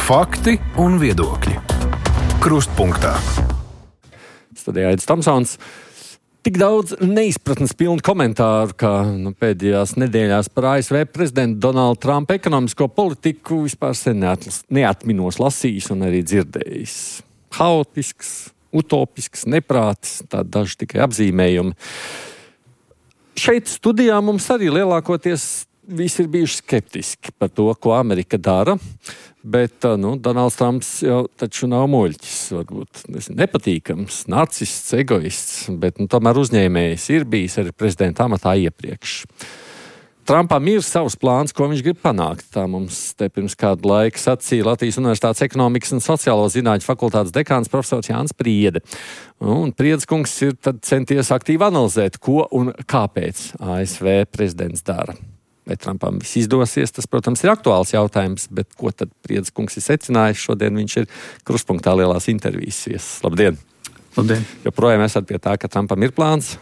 Fakti un viedokļi. Krustpunktā. Studijā Aidis Tomsons. Tik daudz neizpratnes pilnu komentāru, kā pēdējās nedēļās par ASV prezidenta Donalda Trumpa ekonomisko politiku vispār sen neatminos lasījis un arī dzirdējis. Haotisks, utopisks, neprātis, tādi daži tikai apzīmējumi. Šeit studijā mums arī lielākoties visi ir bijuši skeptiski par to, ko Amerika dara, bet Donalds Trumps jau taču nav muļķis, varbūt nepatīkams, narcists, egoists, bet tomēr uzņēmējs ir bijis arī prezidenta amatā iepriekš. Trumpam ir savs plāns, ko viņš grib panākt. Tā mums te pirms kādu laiku sacīja Latvijas Universitātes ekonomikas un sociālo zinātņu fakultātes dekāns profesors Jānis Priede. Un Priedes kungs ir tad centies aktīvi analizēt, ko un kāpēc ASV prezidents dara. Vai Trumpam viss izdosies, tas, protams, ir aktuāls jautājums, bet ko tad Priedes kungs ir secinājis? Šodien viņš ir Krustpunktā lielās intervijas viesis. Labdien! Labdien! Joprojām esat pie tā, ka Trumpam ir plāns?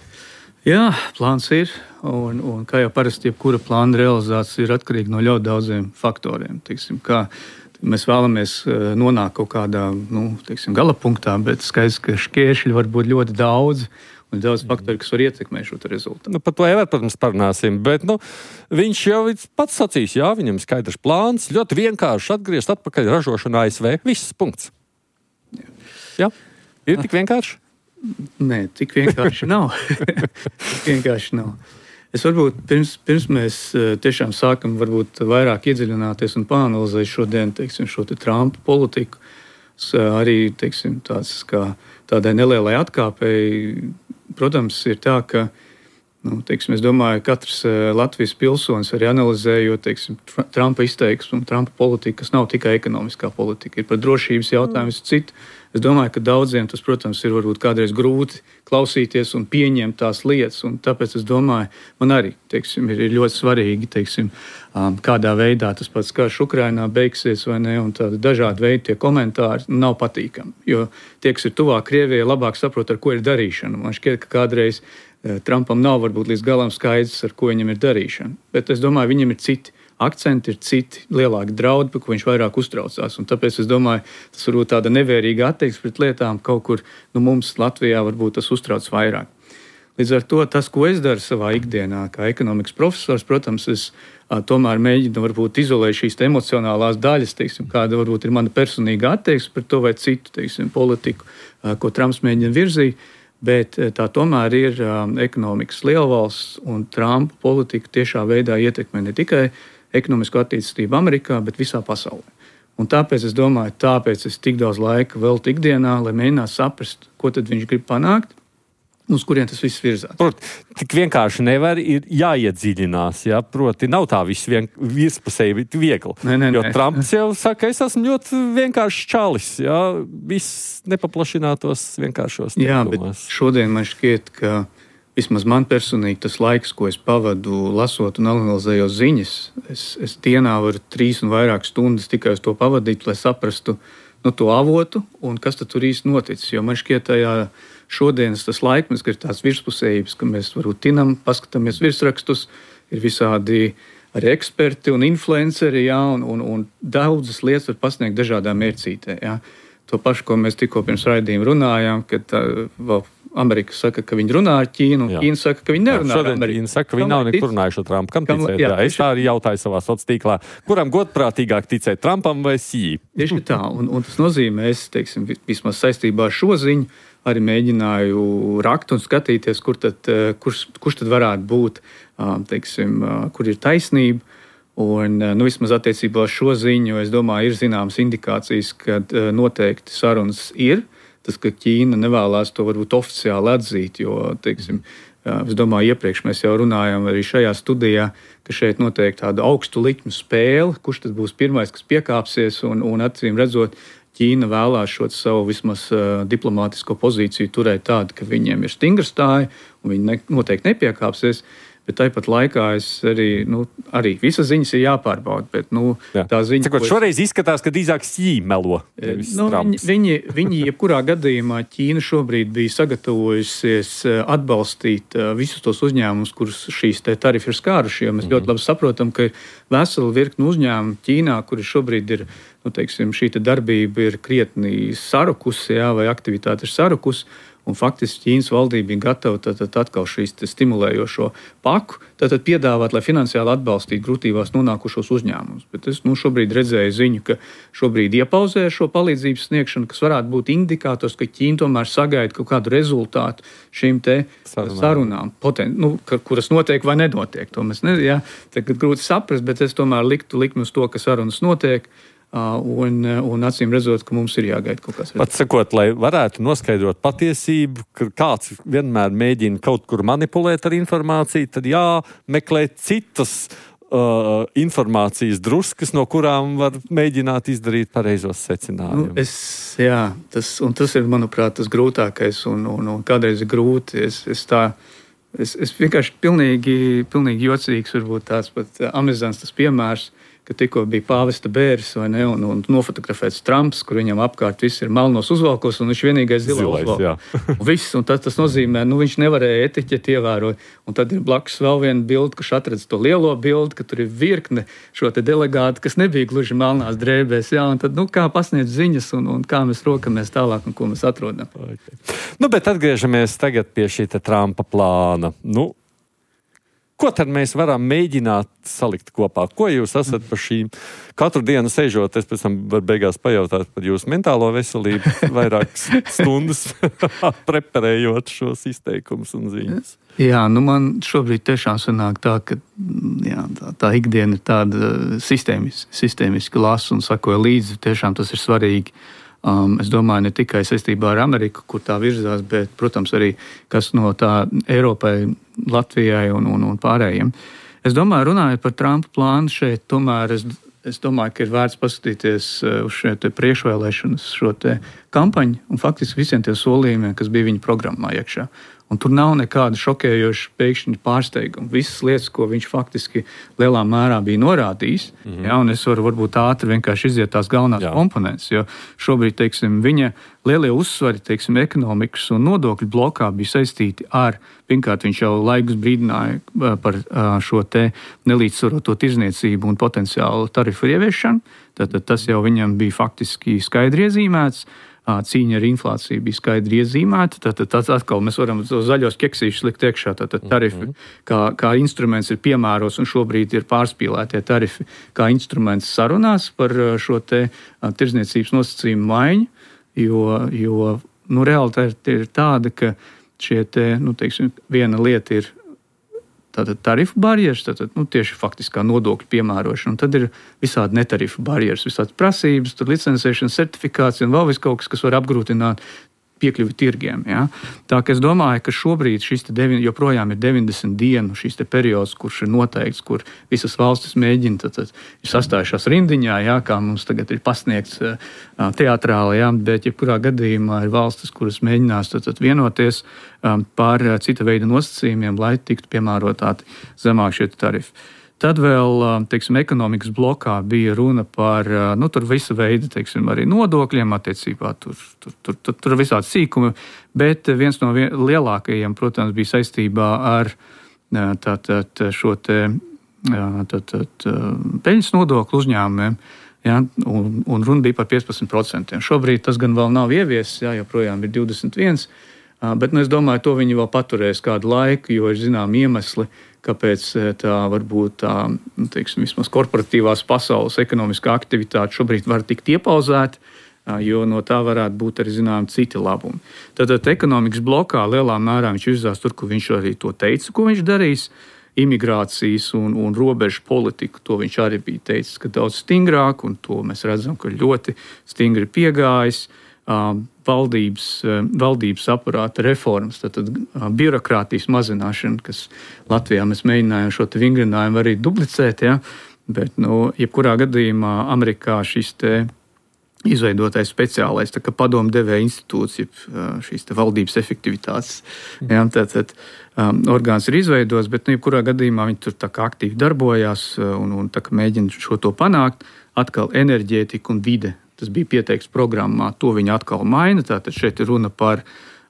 Jā, plāns ir, un kā jau parasti, jebkura plāna realizācija ir atkarīga no ļoti daudziem faktoriem. Kā mēs vēlamies nonākt kaut kādā gala punktā, bet skaidrs, ka šķēršļi var būt ļoti daudz. Un daudz faktori, kas var ietekmēt šo rezultātu. Par to jau, protams, parunāsim, bet viņš jau pats sacīs, jā, viņam ir skaidrs plāns, ļoti vienkārši atgriezt atpakaļ ražošanu ASV. Viss, punkts. Jā? Ir tik vienkārši? Nē, tik vienkārši nav. Tik vienkārši nav. Es varbūt pirms mēs tiešām sākam varbūt vairāk iedziļināties un pāanalizēt šodien, šo Trumpa politiku, arī, tāds kā tādai nelielai atkāpei. Protams, ir tā, ka es domāju, ka katrs Latvijas pilsonis arī analizējot Trumpa izteiksmu un Trumpa politiku, kas nav tikai ekonomiskā politika, ir par drošības jautājumus citu. Es domāju, ka daudziem tas, protams, ir varbūt kādreiz grūti klausīties un pieņemt tās lietas, un tāpēc es domāju, man arī ir ļoti svarīgi, kādā veidā tas pats karš Ukrainā beigsies vai ne, un tādi dažādi veidi tie komentāri nav patīkami, jo tie, kas ir tuvāk Krievijai, labāk saprot, ar ko ir darīšana. Man šķiet, ka kādreiz Trumpam nav varbūt līdz galam skaidrs, ar ko viņam ir darīšana, bet es domāju, viņam ir citi akcenti, ir citi lielāki draudi, par ko viņš vairāk uztraucās. Un tāpēc es domāju, tas varbūt tāda nevērīga attieksme pret lietām kaut kur mums Latvijā varbūt tas uztrauc vairāk. Līdz ar to tas, ko es daru savā ikdienā, kā ekonomikas profesors, protams, es tomēr mēģinu varbūt izolēt šīs emocionālās daļas, kāda varbūt ir mana personīga attieksme par to vai citu, politiku, ko Trumps mēģina virzīt. Bet tā tomēr ir ekonomikas lielvalsts, un Trumpa politika tiešā veidā ietekmē ne tikai ekonomisko attīstību Amerikā, bet visā pasaulē. Un tāpēc es domāju, es tik daudz laika veltu ikdienā, lai mēģinātu saprast, ko tad viņš grib panākt, uz kurien tas viss virzās. Tik vienkārši nevar, ir jāiedziļinās, ja? Proti nav tā viss virspusēji, bet viegli. Jo Trumps jau saka, es esmu ļoti vienkāršs čalis, ja? Viss nepaplašinātos vienkāršos teikumos. Jā, bet šodien man šķiet, ka vismaz man personīgi tas laiks, ko es pavadu lasot un analizējot ziņas, es dienā varu 3 un vairāk stundas tikai uz to pavadīt, lai saprastu to avotu un kas tad tur īsti noticis. Jo man šķiet tajā šodienas tas laikmets, ka ir tās virspusējības, ka mēs varbūt tinam, paskatāmies virsrakstus, ir visādi arī eksperti un influenceri, jā, un daudzas lietas var pasniegt dažādā mērcītē. Jā. To pašu, ko mēs tikko pirms raidījuma runājām, kad Amerika saka, ka viņi runā ar Ķīnu, un Ķīna saka, ka viņi nerunā ar Ameriku. Ķīna saka, ka viņi nav nekur runājuši ar Trumpu. Kam ticēt? Es tā arī jautāju savā sociālā tīklā. Kuram godprātīgāk ticēt, Trumpam vai Xi? Tieši tā, un tas nozīmē, es vismaz saistībā ar šo ziņu arī mēģināju rakt un skatīties, kurš tad varētu būt, kur ir taisnība. Un vismaz attiecībā uz šo ziņu, es domāju, ir zināmas indikācijas, ka noteikti sarunas ir. Tas, ka Ķīna nevēlās to varbūt oficiāli atzīt, jo, es domāju, iepriekš mēs jau runājām arī šajā studijā, ka šeit notiek tāda augstu likmu spēle, kurš tad būs pirmais, kas piekāpsies, un acīm redzot, Ķīna vēlās šo savu vismaz diplomātisko pozīciju turēt tādu, ka viņiem ir stingra stāja, un viņi noteikti nepiekāpsies. bet tāpat laikā es arī visas ziņas ir jāpārbauda. Bet, tā ziņa, Cikot, šoreiz izskatās, ka drīzāk Xi melo. Viņi jebkurā gadījumā Ķīna šobrīd bija sagatavojusies atbalstīt visus tos uzņēmumus, kurus šīs tarifi ir skāruši. Jo mēs ļoti labi saprotam, ka ir vesela virkne uzņēmumu Ķīnā, kuri šobrīd ir, šī darbība ir krietni sarukusi, vai aktivitāte ir sarukusi. Un faktiski Ķīnas valdība bija gatava atkal šīs stimulējošo paku piedāvāt, lai finansiāli atbalstītu grūtībās nonākušos uzņēmumus. Bet es šobrīd redzēju ziņu, ka šobrīd iepauzē šo palīdzības sniegšanu, kas varētu būt indikators, ka Ķīna tomēr sagaida kaut kādu rezultātu šīm sarunām, kuras notiek vai nenotiek. To mēs tagad grūti saprast, bet es tomēr liktu likmi uz to, ka sarunas notiek. Un acīm redzot, ka mums ir jāgaida kaut kas. Pat sakot, lai varētu noskaidrot patiesību, ka kāds vienmēr mēģina kaut kur manipulēt ar informāciju, tad jāmeklē citas informācijas druskas, no kurām var mēģināt izdarīt pareizos secinājumus. Tas ir, manuprāt, tas grūtākais un kādreiz ir grūti. Es vienkārši pilnīgi jocīgs, varbūt tāds pat amizants tas piemērs, ka tikko bija pāvesta bēris un nofotografēts Trumps, kur viņam apkārt viss ir melnos uzvalkos, un viņš vienīgais zilais uzvalkos. Un tas nozīmē, viņš nevarēja etiķeti ievērot. Un tad ir blakus vēl viena bilde, kurš atradz to lielo bildi, ka tur ir virkne šo delegātu, kas nebija gluži melnās drēbēs. Un tad, kā pasniedz ziņas un kā mēs rokamies tālāk un ko mēs atrodam. Okay. Bet atgriežamies tagad pie šī Trumpa plāna. Ko tad mēs varam mēģināt salikt kopā? Ko jūs esat par šīm? Katru dienu sēžot, es pēc tam varu beigās pajautāt par jūsu mentālo veselību, vairākas stundas preparējot šos izteikumus un ziņas. Man šobrīd tiešām sanāk tā, ka tā ikdiena ir tāda sistēmiski lasa un sakoja līdzi. Tiešām tas ir svarīgi. Es domāju, ne tikai saistībā ar Ameriku, kur tā virzās, bet, protams, arī kas no tā Eiropai, Latvijai un pārējiem. Es domāju, runājot par Trumpa plānu šeit, tomēr es domāju, ka ir vērts paskatīties uz šo priekšvēlēšanas, šo kampaņu un faktiski visiem tiem solījumiem, kas bija viņa programmā iekšā. Un tur nav nekāda šokējoša pēkšņa pārsteiguma. Visas lietas, ko viņš faktiski lielā mērā bija norādījis, un es varu varbūt ātri vienkārši iziet tās galvenās komponentes, jo šobrīd, viņa lielie uzsvari, ekonomikas un nodokļu blokā bija saistīti ar, pirmkārt, viņš jau laikus brīdināja par šo nelīdzsvaroto tirzniecību un potenciālu tarifu ieviešanu. Tātad tas jau viņam bija faktiski skaidri iezīmēts. Cīņa ar inflāciju bija skaidri iezīmēta. Tad atkal mēs varam to zaļos keksīšus likt iekšā. Tātad tarifi kā instruments ir piemēros un šobrīd ir pārspīlētie tarifi kā instruments sarunās par šo tirdzniecības nosacījumu maiņu, jo realitāte ir tāda, ka šie viena lieta ir tātad tarifu barjeras, tieši faktiskā nodokļu piemērošana. Un tad ir visādi netarifu barjeras, visādi prasības, licencēšana, certifikācija un vēl kaut kas, kas var apgrūtināt piekļuvi tirgiem. Tā ka es domāju, ka šobrīd šis joprojām ir 90 dienu šis periods, kurš ir noteikts, kur visas valstis mēģina, ir sastājušās rindiņā, kā mums tagad ir pasniegts teatrāli, bet jebkurā gadījumā ir valstis, kuras mēģinās vienoties par cita veida nosacījumiem, lai tiktu piemērotāti zemāk šie tarifi. Tad vēl, ekonomikas blokā bija runa par, tur visu veidu, arī nodokļiem attiecībā, tur visādi sīkumi, bet viens no lielākajiem, protams, bija saistībā ar šo peļņas nodokli uzņēmumiem, un runa bija par 15%. Šobrīd tas gan vēl nav ieviesis, joprojām ir 21%, bet es domāju, to viņi vēl paturēs kādu laiku, jo ir zinām iemesli, kāpēc tā varbūt vismaz korporatīvās pasaules ekonomiskā aktivitāte šobrīd var tikt iepauzēta, jo no tā varētu būt arī citi labumi. Tātad ekonomikas blokā lielā mērā viņš virzās tur, kur viņš arī to teica, ko viņš darīs. Imigrācijas un robežu politiku, to viņš arī bija teicis, ka daudz stingrāk, un to mēs redzam, ka ļoti stingri piegājis. Valdības aparāta reformas, tātad birokrātijas mazināšana, kas Latvijā mēs mēģinājām šo vingrinājumu arī duplicēt, bet, jebkurā gadījumā Amerikā šis izveidotais speciālais padomdevēja institūts, šīs valdības efektivitātes. Tātad orgāns ir izveidots, bet jebkurā gadījumā viņi tur aktīvi darbojās un mēģina šo to panākt. Atkal enerģētika un vide. Tas bija pieteikts programmā, to viņi atkal maina. Tātad šeit ir runa par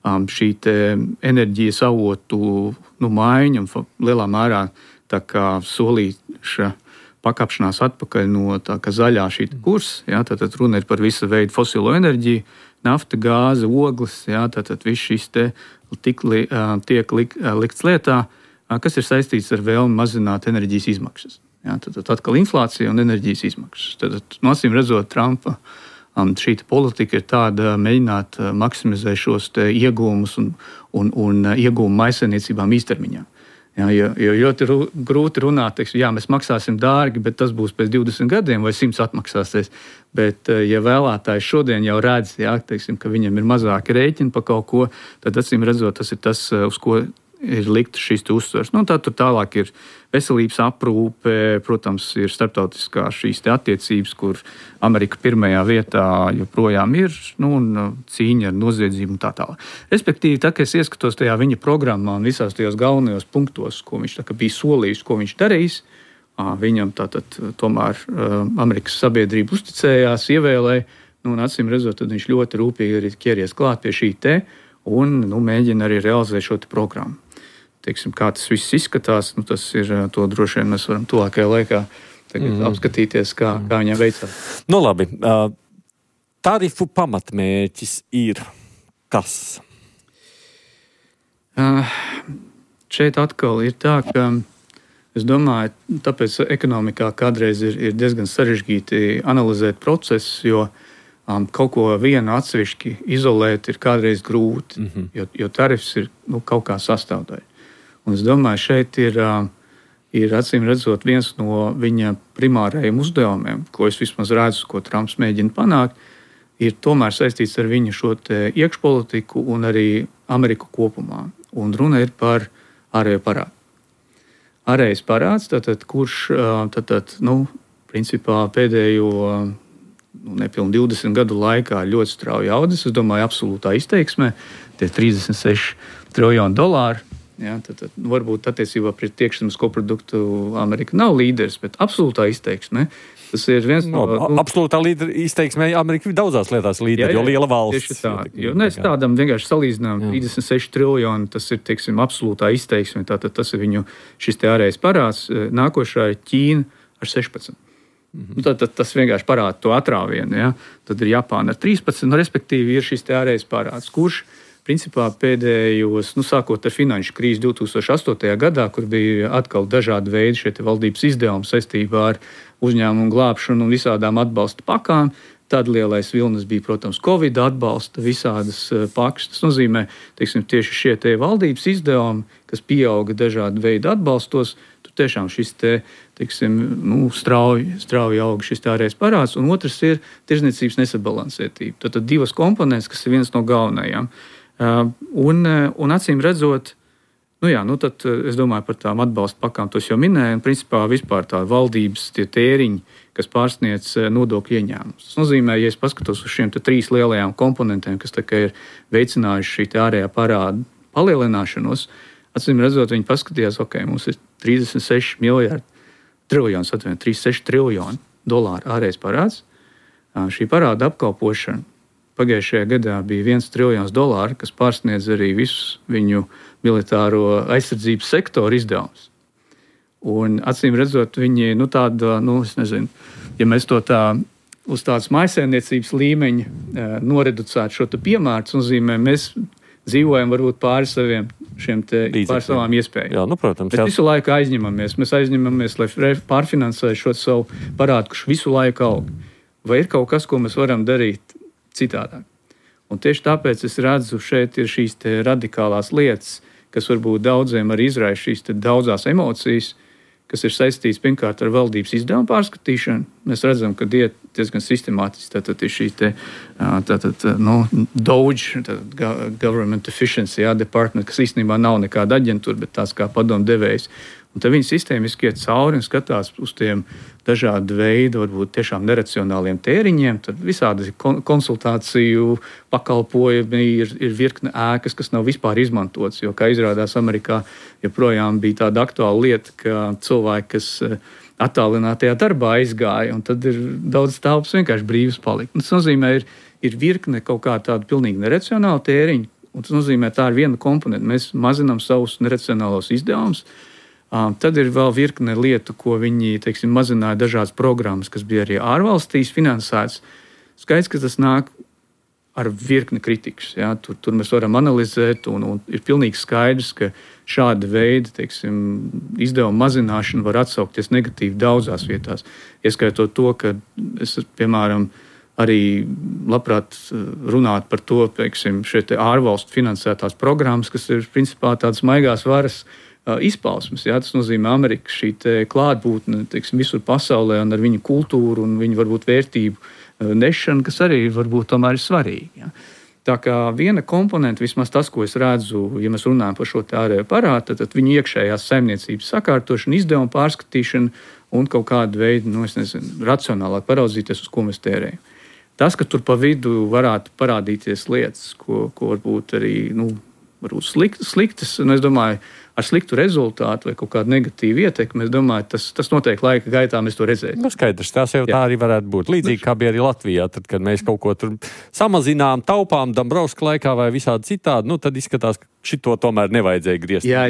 šī enerģijas avotu maiņu un lielā mērā solīša pakāpšanās atpakaļ no zaļā šī kursa. Tātad runa ir par visu veidu fosilo enerģiju, nafta, gāze, ogles. Tātad viss šis tiek likts lietā, kas ir saistīts ar vēlmi mazināt enerģijas izmaksas. Tad atkal inflācija un enerģijas izmaksas. Tad, acīm redzot, Trumpa šī politika ir tāda mēģināt maksimizēt šos iegūmus un iegūmu maisaimniecībām īstermiņā. Jo ļoti grūti runāt, mēs maksāsim dārgi, bet tas būs pēc 20 gadiem vai 100 atmaksāsies. Bet, ja vēlētājs šodien jau redz, ka viņam ir mazāki rēķini par kaut ko, tad acīm redzot, tas ir tas, uz ko ir likt šīs uzsvers. Tā tur tālāk ir veselības aprūpe, protams, ir starptautiskā šīs attiecības, kur Amerika pirmajā vietā joprojām ir, un cīņa ar noziedzību un tā tālāk. Respektīvi, kad es ieskatos tajā viņa programmā un visās tajos galvenajos punktos, ko viņš bija solījis, ko viņš darīs, viņam tomēr Amerikas sabiedrība uzticējās, ievēlēja, un acīm redzot, tad viņš ļoti rūpīgi arī ķeries klāt pie šī un mēģina arī realizēt šo programmu. Kā tas viss izskatās, tas ir to droši vien mēs varam tuvākajā laikā apskatīties, kā viņam veicās. Labi. Tarifu pamatmērķis ir kas? Šeit atkal ir tā, ka es domāju, tāpēc ekonomikā kādreiz ir diezgan sarežģīti analizēt procesus, jo kaut ko vienu atsevišķi izolēt ir kādreiz grūti, jo tarifs ir kaut kā sastāvdaļa. Un es domāju, šeit ir acīm redzot viens no viņa primārajiem uzdevumiem, ko es vismaz redzu, ko Trumps mēģina panākt, ir tomēr saistīts ar viņu šo iekšpolitiku un arī Ameriku kopumā. Un runa ir par ārējo parādu. Ārējais parāds, kurš principā pēdējo nepilnu 20 gadu laikā ļoti strauji audzis, es domāju, absolūtā izteiksmē, tie $36 triljoni. Varbūt attiecībā pret iekšzemes koproduktu Amerika nav līderis, bet absolūtā izteiksmē tas ir viens no... Absolūtā izteiksmē Amerika ir daudzās lietās līderi, jo liela valsts. Tieši tā. Jo mēs tādam vienkārši salīdzinām 36 triljoni, tas ir, absolūtā izteiksme, tātad tas ir viņu šis ārējais parāds. Nākošā ir Ķīna ar 16. Tad tas vienkārši parāda to atrāvienu. Tad ir Japāna ar 13, respektīvi ir šis ārējais parāds, kurš principā pēdējos, sākot ar finanšu krīzi 2008. gadā, kur bija atkal dažādi veidi šie valdības izdevumi saistībā ar uzņēmumu glābšanu un visādām atbalsta pakām. Tad lielais vilnis bija, protams, Covid atbalsta, visādas pakas. Tas nozīmē, tieši šie valdības izdevumi, kas pieauga dažādu veidu atbalstos, tur tiešām šis strauji auga šis ārējais parāds, un otrs ir tirdzniecības nesabalansētība. Tad divas komponentes, kas ir viens no galvenajām. Un acīm redzot, tad es domāju par tām atbalsta pakām, tos jau minēju, un principā vispār tā valdības tie tēriņi, kas pārsniedz nodokļu ieņēmumus. Tas nozīmē, ja es paskatos uz šiem trīs lielajām komponentēm, kas ir veicinājuši šī ārējā parāda palielināšanos, acīm redzot, viņi paskatījās, mums ir 36 triljoni dolāru ārējais parāds. Šī parāda apkalpošana pagājušajā gadā bija $1 triljons, kas pārsniedz arī visu viņu militāro aizsardzības sektoru izdevumus. Un acīm redzot, viņi es nezinu, ja mēs to uz tādas mājsaimniecības līmeņa noreducētu šo piemēru, tas nozīmē, mēs dzīvojam varbūt pāri savām iespējām. Protams. Mēs visu laiku aizņemamies, lai pārfinansētu šo savu parādu, kurš visu laiku aug. Vai ir kaut kas, ko mēs varam darīt citādāk? Un tieši tāpēc es redzu, šeit ir šīs radikālās lietas, kas varbūt daudziem arī izraisa šīs daudzās emocijas, kas ir saistīts pirmkārt ar valdības izdevumu pārskatīšanu. Mēs redzam, ka iet diezgan sistemātiski. Tātad ir šī DOGE, Government Efficiency Department, kas īstenībā nav nekāda aģentūra, bet tās kā padomdevējs. Un tad viņi sistēmiski iet cauri un skatās uz tiem dažādu veidu, varbūt tiešām neracionāliem tēriņiem. Tad visādi konsultāciju pakalpojumi ir virkne ēkas, kas nav vispār izmantotas. Jo, kā izrādās, Amerikā joprojām bija tāda aktuāla lieta, ka cilvēki, kas attālinātajā darbā aizgāja, un tad ir daudz telpas vienkārši brīvas palikt. Tas nozīmē, ir virkne kaut kā tāda pilnīgi neracionāla tēriņa, un tas nozīmē, tā ir viena komponenta. Mēs mazinām savus neracionālos izdevumus. Tad ir vēl virkne lietu, ko viņi, teiksim, mazināja dažādas programmas, kas bija arī ārvalstīs finansētas. Skaidrs, ka tas nāk ar virkni kritikas. Ja? Tur mēs varam analizēt, un ir pilnīgi skaidrs, ka šāda veida, teiksim, izdevuma mazināšana var atsaukties negatīvi daudzās vietās. Ieskaitot to, ka es, piemēram, arī labprāt runāt par to, teiksim, šeit ārvalstu finansētās programmas, kas ir principā tādas maigās varas izpausmes. Ja? Tas nozīmē Amerikas šī klātbūtne, teiksim, visur pasaulē un ar viņu kultūru un viņu varbūt vērtību nešanu, kas arī varbūt tomēr ir svarīgi. Ja? Tā kā viena komponenta, vismaz tas, ko es redzu, ja mēs runājam par šo ārējo parādu, tad viņu iekšējās saimniecības sakārtošana, izdevuma pārskatīšana un kaut kādu veidu, racionālāk paraudzīties, uz ko mēs tērējam. Tas, ka tur pa vidu varētu parādīties lietas, ko varbūt arī varbūt sliktas, un es domāju, ar sliktu rezultātu vai kaut kādu negatīvu ietekmi, es domāju, tas noteikti laika gaitā mēs to redzēsim. Skaidrs, tas jau tā arī varētu būt. Līdzīgi kā bija arī Latvijā, tad, kad mēs kaut ko tur samazinām, taupām Dombrovska laikā vai visādi citādi, tad izskatās, ka šito tomēr nevajadzēja griezt. Jā,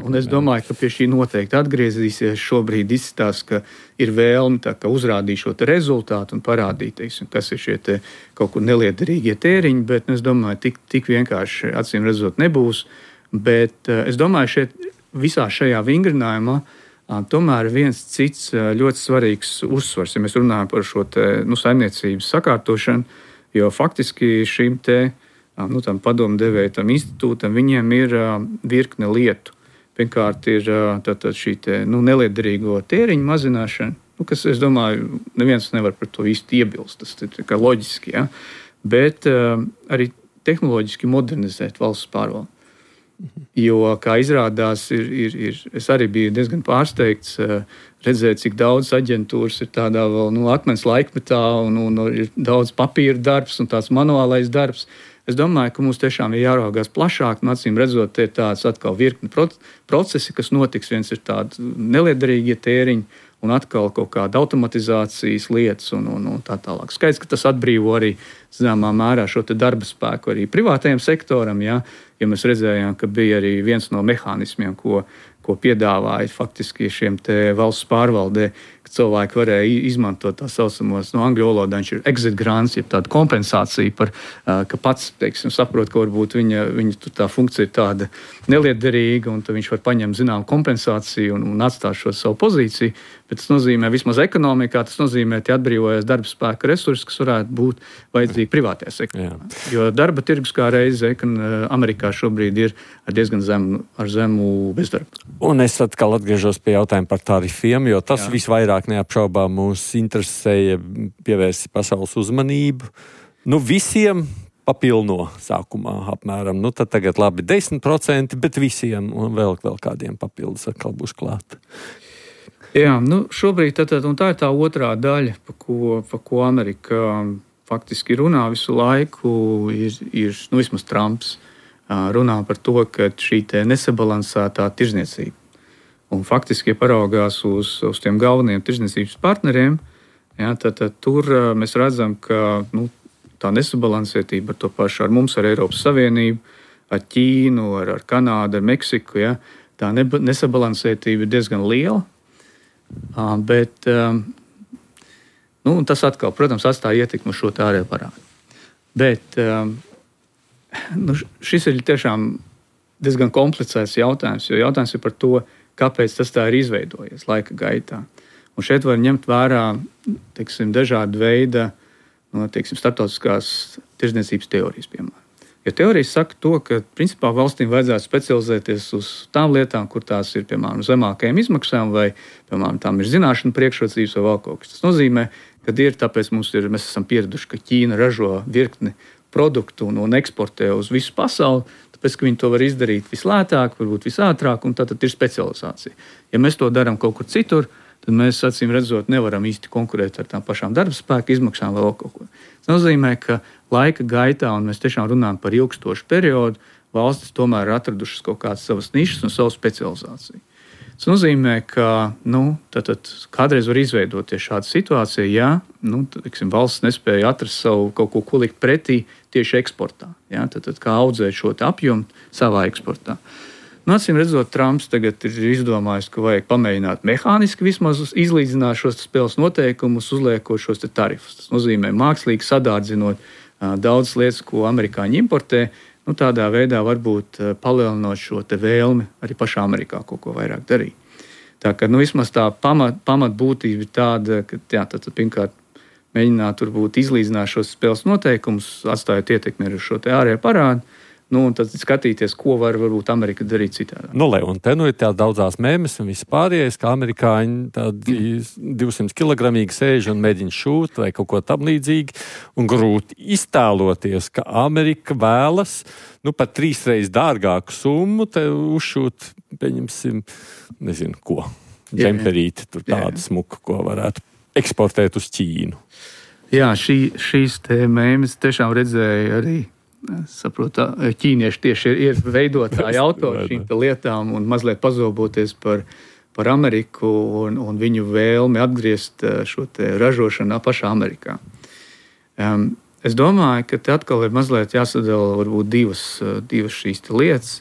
un es domāju, ka pie šī noteikti atgriezīsies. Šobrīd izskatās, ka ir vēlme uzrādīt šo rezultātu un parādīt, teiksim, kas ir šie kaut kur neliederīgie tēriņi, bet es domāju, tik vienkārši acīm redzot nebūs. Bet es domāju, šeit visā šajā vingrinājumā tomēr viens cits ļoti svarīgs uzsvars, ja mēs runājam par šo saimniecības sakārtošanu, jo faktiski šim tam padomdevēja, tam institūtam, viņiem ir virkne lietu. Pirmkārt ir šī neliederīgo tēriņu mazināšana, kas, es domāju, neviens nevar par to īsti iebilst, tas ir kā loģiski, ja? Bet arī tehnoloģiski modernizēt valsts pārvaldi. Jo, kā izrādās, es arī biju diezgan pārsteigts redzēt, cik daudz aģentūras ir tādā vēl akmens laikmetā un ir daudz papīra darbs un tāds manuālais darbs. Es domāju, ka mums tiešām ir jāraugās plašāk, un acīm redzot, te ir tāds atkal virkni procesi, kas notiks. Viens ir tādi neliederīgie tēriņi, un atkal kaut kāda automatizācijas lietas un tā tālāk. Skaidrs, ka tas atbrīvo arī, zināmā mērā, šo darba spēku arī privātajam sektoram, ja mēs redzējām, ka bija arī viens no mehānismiem, ko piedāvāja faktiski šiem valsts pārvaldē, ka cilvēki varēja izmantot tā saucamos, angļu valodā viņš ir exit grants, jeb tāda kompensācija par, ka pats, teiksim, saprot, ka varbūt viņa tā funkcija ir tāda neliederīga, un tad viņš var paņemt zinām kompensāciju un atstāt šo savu pozīciju, bet tas nozīmē, vismaz ekonomikā, tas nozīmē, ka atbrīvojas darba spēka resursi, kas varētu būt vajadzīgi privātajā sektorā. Jo darba tirgus kā reize, Amerikā šobrīd ir ar diezgan zemu bezdarbu. Un es atkal atgriežos pie jautājuma par tarifiem, jo tas visvairāk neapšaubām mūs interesēja, pievērsi pasaules uzmanību. Visiem papilno sākumā apmēram. Tad tagad labi 10%, bet visiem un vēl kādiem papildus atkal būs klāt. Jā, šobrīd tā ir tā otrā daļa, pa ko Amerika faktiski runā visu laiku, ir vismaz Trumps runā par to, ka šī nesabalansētā tirzniecība. Un faktiski, ja paraugās uz tiem galvenajiem tirzniecības partneriem, tad tur mēs redzam, ka tā nesabalansētība ar to pašu, ar mums, ar Eiropas Savienību, ar Ķīnu, ar Kanādu, ar Meksiku, tā nesabalansētība ir diezgan liela. Bet tas atkal, protams, atstāja ietekmi uz šo ārējo parādu. Bet šis ir tiešām diezgan komplicēts jautājums, jo jautājums ir par to, kāpēc tas tā ir izveidojies laika gaitā. Un šeit var ņemt vērā, dažādu veidu, starptautiskās tirdzniecības teorijas, piemēram. Jo teorijas saka to, ka principā valstīm vajadzētu specializēties uz tām lietām, kur tās ir, piemēram, zemākajām izmaksām, vai, piemēram, tām ir zināšana priekšrocības vai vēl kaut kas. Tas nozīmē, ka tāpēc mēs esam pieraduši, ka Ķīna ražo virkni produktu un eksportē uz visu pasauli, tāpēc, ka viņi to var izdarīt vislētāk, varbūt visātrāk, un tad ir specializācija. Ja mēs to darām kaut kur citur, tad mēs, acīm redzot, nevaram īsti konkurēt ar tām pašām darba spēka izmaksām vai vēl kaut ko. Tas nozīmē, ka laika gaitā, un mēs tiešām runājam par ilgstošu periodu, valstis tomēr ir atradušas kaut kādas savas nišas un savu specializāciju. Tas nozīmē, ka tātad kādreiz var izveidoties šāda situācija, ja valsts nespēja atrast savu kaut ko likt pretī tieši eksportā. Ja? Tātad kā audzēt šo apjomu savā eksportā. Acīm redzot, Trumps tagad ir izdomājis, ka vajag pamēģināt mehāniski vismaz izlīdzināt šos spēles noteikumus, uzliekot šos tarifus. Tas nozīmē mākslīgi sadārdzinot daudzas lietas, ko amerikāņi importē, tādā veidā varbūt palielinot šo vēlmi arī pašā Amerikā kaut ko vairāk darīt. Tā kā vismaz tā pamatbūtība ir tāda, ka tad pirmkārt mēģināt varbūt izlīdzināt šos spēles noteikumus, atstājot ietekmi ar šo ārējo parādu, un tad skatīties, ko varbūt Amerika darīt citādi. Un te ir tā daudzās mēmes un viss pārējais, kā amerikāņi tādi 200 kilogramīgi sēž un mēģina šūt vai kaut ko tam līdzīgi, un grūti iztēloties, ka Amerika vēlas pat 3 reizes dārgāku summu te uzšūt, pieņemsim, nezinu ko, džemperīti, tur tādu smuku, ko varētu eksportēt uz Ķīnu. Jā, šīs te mēmes tiešām redzēja arī. Saprotu, ķīnieši tieši ir veidotāji autori šīm lietām un mazliet pazoboties par Ameriku un viņu vēlmi atgriezt šo ražošanu pašā Amerikā. Es domāju, ka te atkal ir mazliet jāsadala varbūt divas šīs lietas.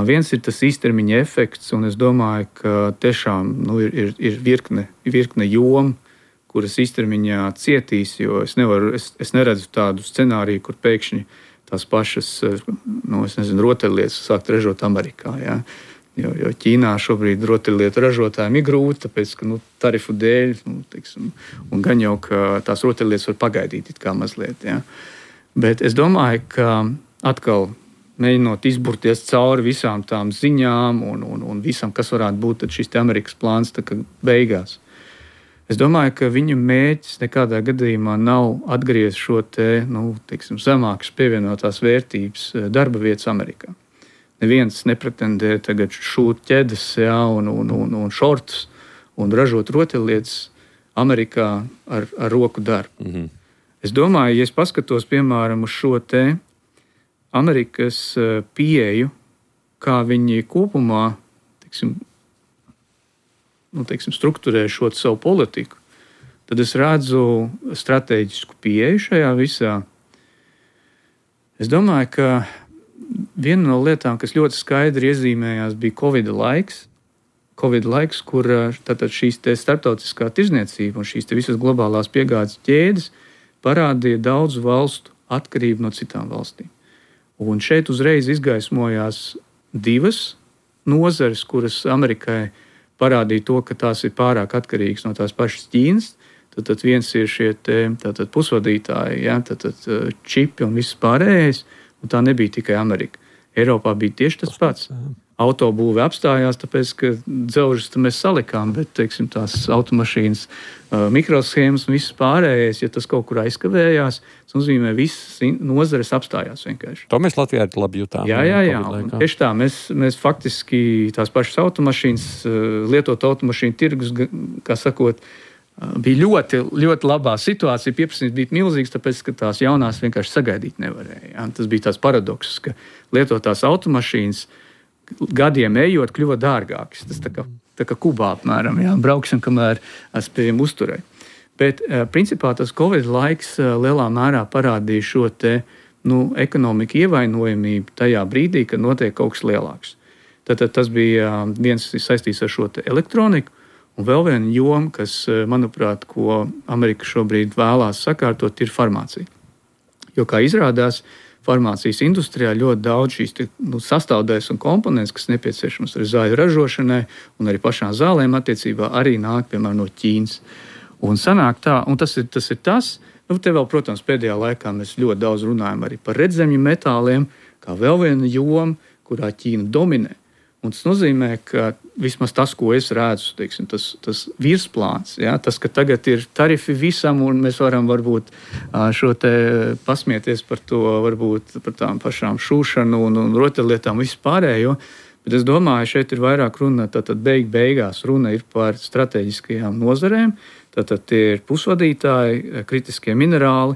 Viens ir tas īstermiņa efekts, un es domāju, ka tiešām ir virkne jomu, kuras īstermiņā cietīs, jo es neredzu tādu scenāriju, kur pēkšņi tās pašas, rotaļlietas sākt ražot Amerikā. Ja? Jo Ķīnā šobrīd rotaļlietu ražotājiem ir grūti, tāpēc, ka tarifu dēļ, un gan jau, ka tās rotaļlietas var pagaidīt it kā mazliet. Ja? Bet es domāju, ka atkal mēģinot izburties cauri visām tām ziņām un visam, kas varētu būt tad šis Amerikas plāns beigās. Es domāju, ka viņa mērķis nekādā gadījumā nav atgriezt šo zemākas pievienotās vērtības darba vietas Amerikā. Neviens nepretendē tagad šūt ķedes un šortus un ražot rotaļlietas Amerikā ar roku darbu. Mm-hmm. Es domāju, ja es paskatos, piemēram, uz šo Amerikas pieeju, kā viņi kopumā, strukturē šo savu politiku, tad es redzu strateģisku pieeju šajā visā. Es domāju, ka viena no lietām, kas ļoti skaidri iezīmējās, bija Covid laiks, kur tātad šīs starptautiskā tirzniecība un šīs visas globālās piegādes ķēdes parādīja daudzu valstu atkarību no citām valstīm. Un šeit uzreiz izgaismojās divas nozares, kuras Amerikai parādīja to, ka tās ir pārāk atkarīgas no tās pašas Ķīnas. Tad viens ir šie pusvadītāji, čipi un viss pārējais, un tā nebija tikai Amerika. Eiropā bija tieši tas pats. Autobūve apstājās, tāpēc, ka dzelžus mēs salikām, bet, tās automašīnas mikroshēmas un viss pārējais, ja tas kaut kur aizkavējās, tas nozīmē, visas nozares apstājās vienkārši. To mēs Latvijā labi jutām. Jā. Tieši tā, mēs faktiski tās pašas automašīnas, lietot automašīnu tirgus, kā sakot, bija ļoti, ļoti labā situācija. Pieprasījums bija milzīgs, tāpēc, ka tās jaunās vienkārši sagaidīt nevarēja. Ja? Tas bija tās paradokss, ka lietotās automašīnas gadiem ejot kļuva dārgākas. Tas tā kā Kubā apmēram, jā, brauksim, kamēr spējam uzturēt. Bet principā tas Covid laiks lielā mērā parādīja šo ekonomiku ievainojamību tajā brīdī, kad notiek kaut kas lielāks. Tad tas bija viens saistīts ar šo elektroniku, un vēl viena joma, kas, manuprāt, ko Amerika šobrīd vēlās sakārtot, ir farmācija. Jo, kā izrādās, farmācijas industrijā ļoti daudz šīs sastāvdaļas un komponents, kas nepieciešams arī zāļu ražošanai un arī pašām zālēm attiecībā, arī nāk, piemēram, no Ķīnas. Un sanāk tā, un tas ir tas. Te vēl, protams, pēdējā laikā mēs ļoti daudz runājam arī par redzemju metāliem, kā vēl viena joma, kurā Ķīna dominē. Un tas nozīmē, ka vismaz tas, ko es redzu, teiksim, tas virsplāns, ja, tas, ka tagad ir tarifi visam, un mēs varam varbūt šo te pasmieties par to, varbūt par tām pašām šūšanu un rotaļlietām vispārējo, bet es domāju, šeit ir vairāk runa, tātad beigās runa ir par strateģiskajām nozarēm, tātad tie ir pusvadītāji, kritiskie minerāli,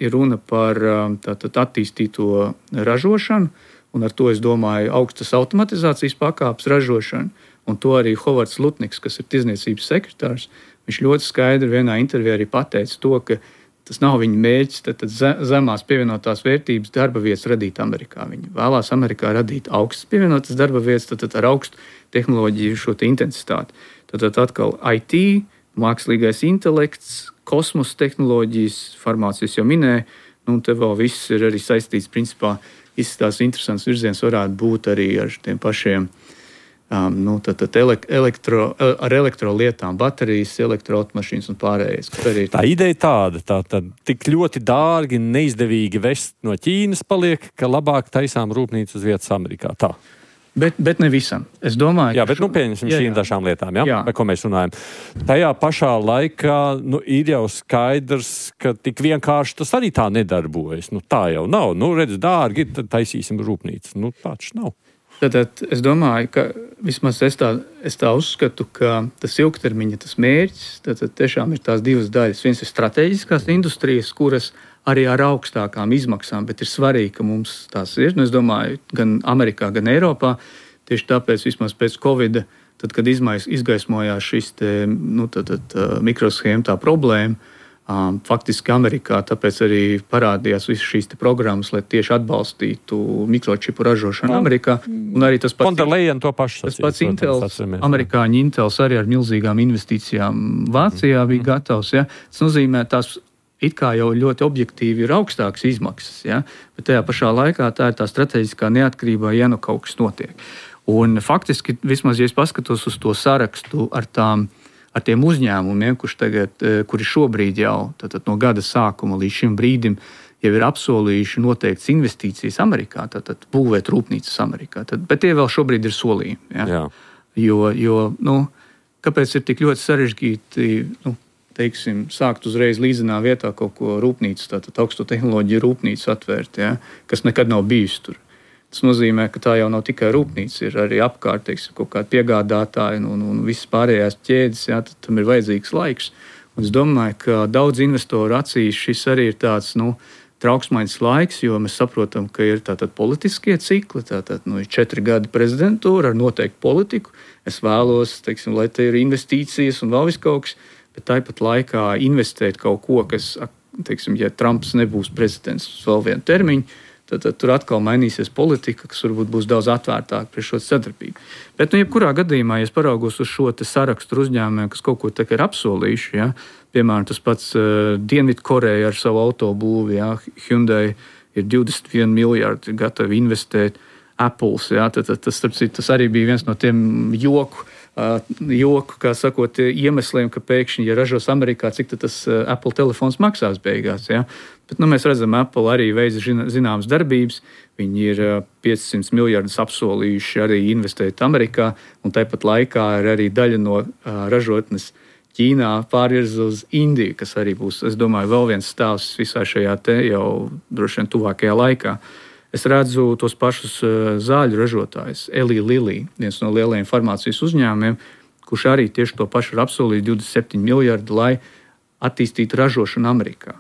ir runa par tātad attīstīto ražošanu, un ar to, es domāju, augstas automatizācijas pakāpes ražošanu, un to arī Hovards Lutniks, kas ir tirzniecības sekretārs, viņš ļoti skaidri vienā intervijā arī pateica to, ka tas nav viņa mērķis, tad zemās pievienotās vērtības darba vietas radīt Amerikā. Viņi vēlās Amerikā radīt augstas pievienotas darba vietas, tad ar augstu tehnoloģiju šo te intensitāti. Tad atkal IT, mākslīgais intelekts, kosmosa tehnoloģijas, farmācijas jau minēja, un te vēl viss ir arī saistīts, principā, izskatās interesants virziens varētu būt arī ar tiem pašiem ar elektrolietām, baterijas, elektroautomašīnas un pārējais. Tā ideja tāda, tad tik ļoti dārgi, neizdevīgi vest no Ķīnas paliek, ka labāk taisām rūpnīcu uz vietas Amerikā. Tā. Bet ne visam. Es domāju, jā, bet pieņemsim šīm dažām lietām, par ko mēs runājam. Tajā pašā laikā ir jau skaidrs, ka tik vienkārši tas arī tā nedarbojas. Tā jau nav. Redz, dārgi, tad taisīsim rūpnīcu. Tāds nav. Tad es domāju, ka vismaz es tā uzskatu, ka tas ilgtermiņa tas mērķis, tad tiešām ir tās divas daļas. Viens ir strateģiskās industrijas, kuras arī ar augstākām izmaksām, bet ir svarīgi, ka mums tās ir. Es domāju, gan Amerikā, gan Eiropā. Tieši tāpēc vismaz pēc Covida, tad, kad izgaismojās šis mikroshēma tā problēma, faktiski Amerikā, tāpēc arī parādījās visas šīs programmas, lai tieši atbalstītu mikročipu ražošanu Amerikā. Un arī tas pats Intels, amerikāņu Intels arī ar milzīgām investīcijām Vācijā bija gatavs. Ja? Tas nozīmē, tās it kā jau ļoti objektīvi ir augstākas izmaksas, ja? Bet tajā pašā laikā tā ir tā strateģiskā neatkarība, ja kaut kas notiek. Un faktiski, vismaz, ja es paskatos uz to sarakstu ar tiem uzņēmumiem, kuri šobrīd jau no gada sākuma līdz šim brīdim jau ir apsolījuši noteikts investīcijas Amerikā, tātad būvēt rūpnīcas Amerikā. Bet tie vēl šobrīd ir solījumi. Ja? Jo kāpēc ir tik ļoti sarežģīti, teiksim, sākt uzreiz līdzenā vietā kaut ko rūpnīcu, tātad augsto tehnoloģiju rūpnīcu atvērt, ja? Kas nekad nav bijis tur. Tas nozīmē, ka tā jau nav tikai rūpnīca, ir arī apkārt, teiksim, kaut kādi piegādātāji un visas pārējās ķēdes, jā, tad tam ir vajadzīgs laiks. Un es domāju, ka daudz investoru acīs šis arī ir tāds, trauksmaiņas laiks, jo mēs saprotam, ka ir tātad politiskie cikli, tātad, ir 4 gadi prezidentūra ar noteiktu politiku. Es vēlos, teiksim, lai te ir investīcijas un vēl viss kaut kas, bet tāpat laikā investēt kaut ko, kas, teiksim, ja Trumps nebūs prezidents uz vēl vienu termiņu, tad tur atkal mainīsies politika, kas varbūt būs daudz atvērtāka pret šo sadarbību. Bet, jebkurā gadījumā, ja es paraugos uz šo sarakstu uzņēmumiem, kas kaut ko ir apsolījuši, ja, piemēram, tas pats Dienvidkoreja ar savu autobūvi, ja, Hyundai ir 21 miljardi gatavi investēt, Apples, ja, tas arī bija viens no tiem joku, kā sakot, iemesliem, ka pēkšņi, ja ražos Amerikā, cik tas Apple telefons maksās beigās. Ja? Bet mēs redzam, Apple arī veids zināmas darbības. Viņi ir 500 miljardus apsolījuši arī investēt Amerikā, un tāpat laikā ir arī daļa no ražotnes Ķīnā pārvirza uz Indiju, kas arī būs, es domāju, vēl viens stāvs visā šajā te jau droši vien tuvākajā laikā. Es redzu tos pašus zāļu ražotājus, Eli Lilly, viens no lielajiem farmācijas uzņēmumiem, kurš arī tieši to pašu ir apsolījis 27 miljardi, lai attīstītu ražošanu Amerikā.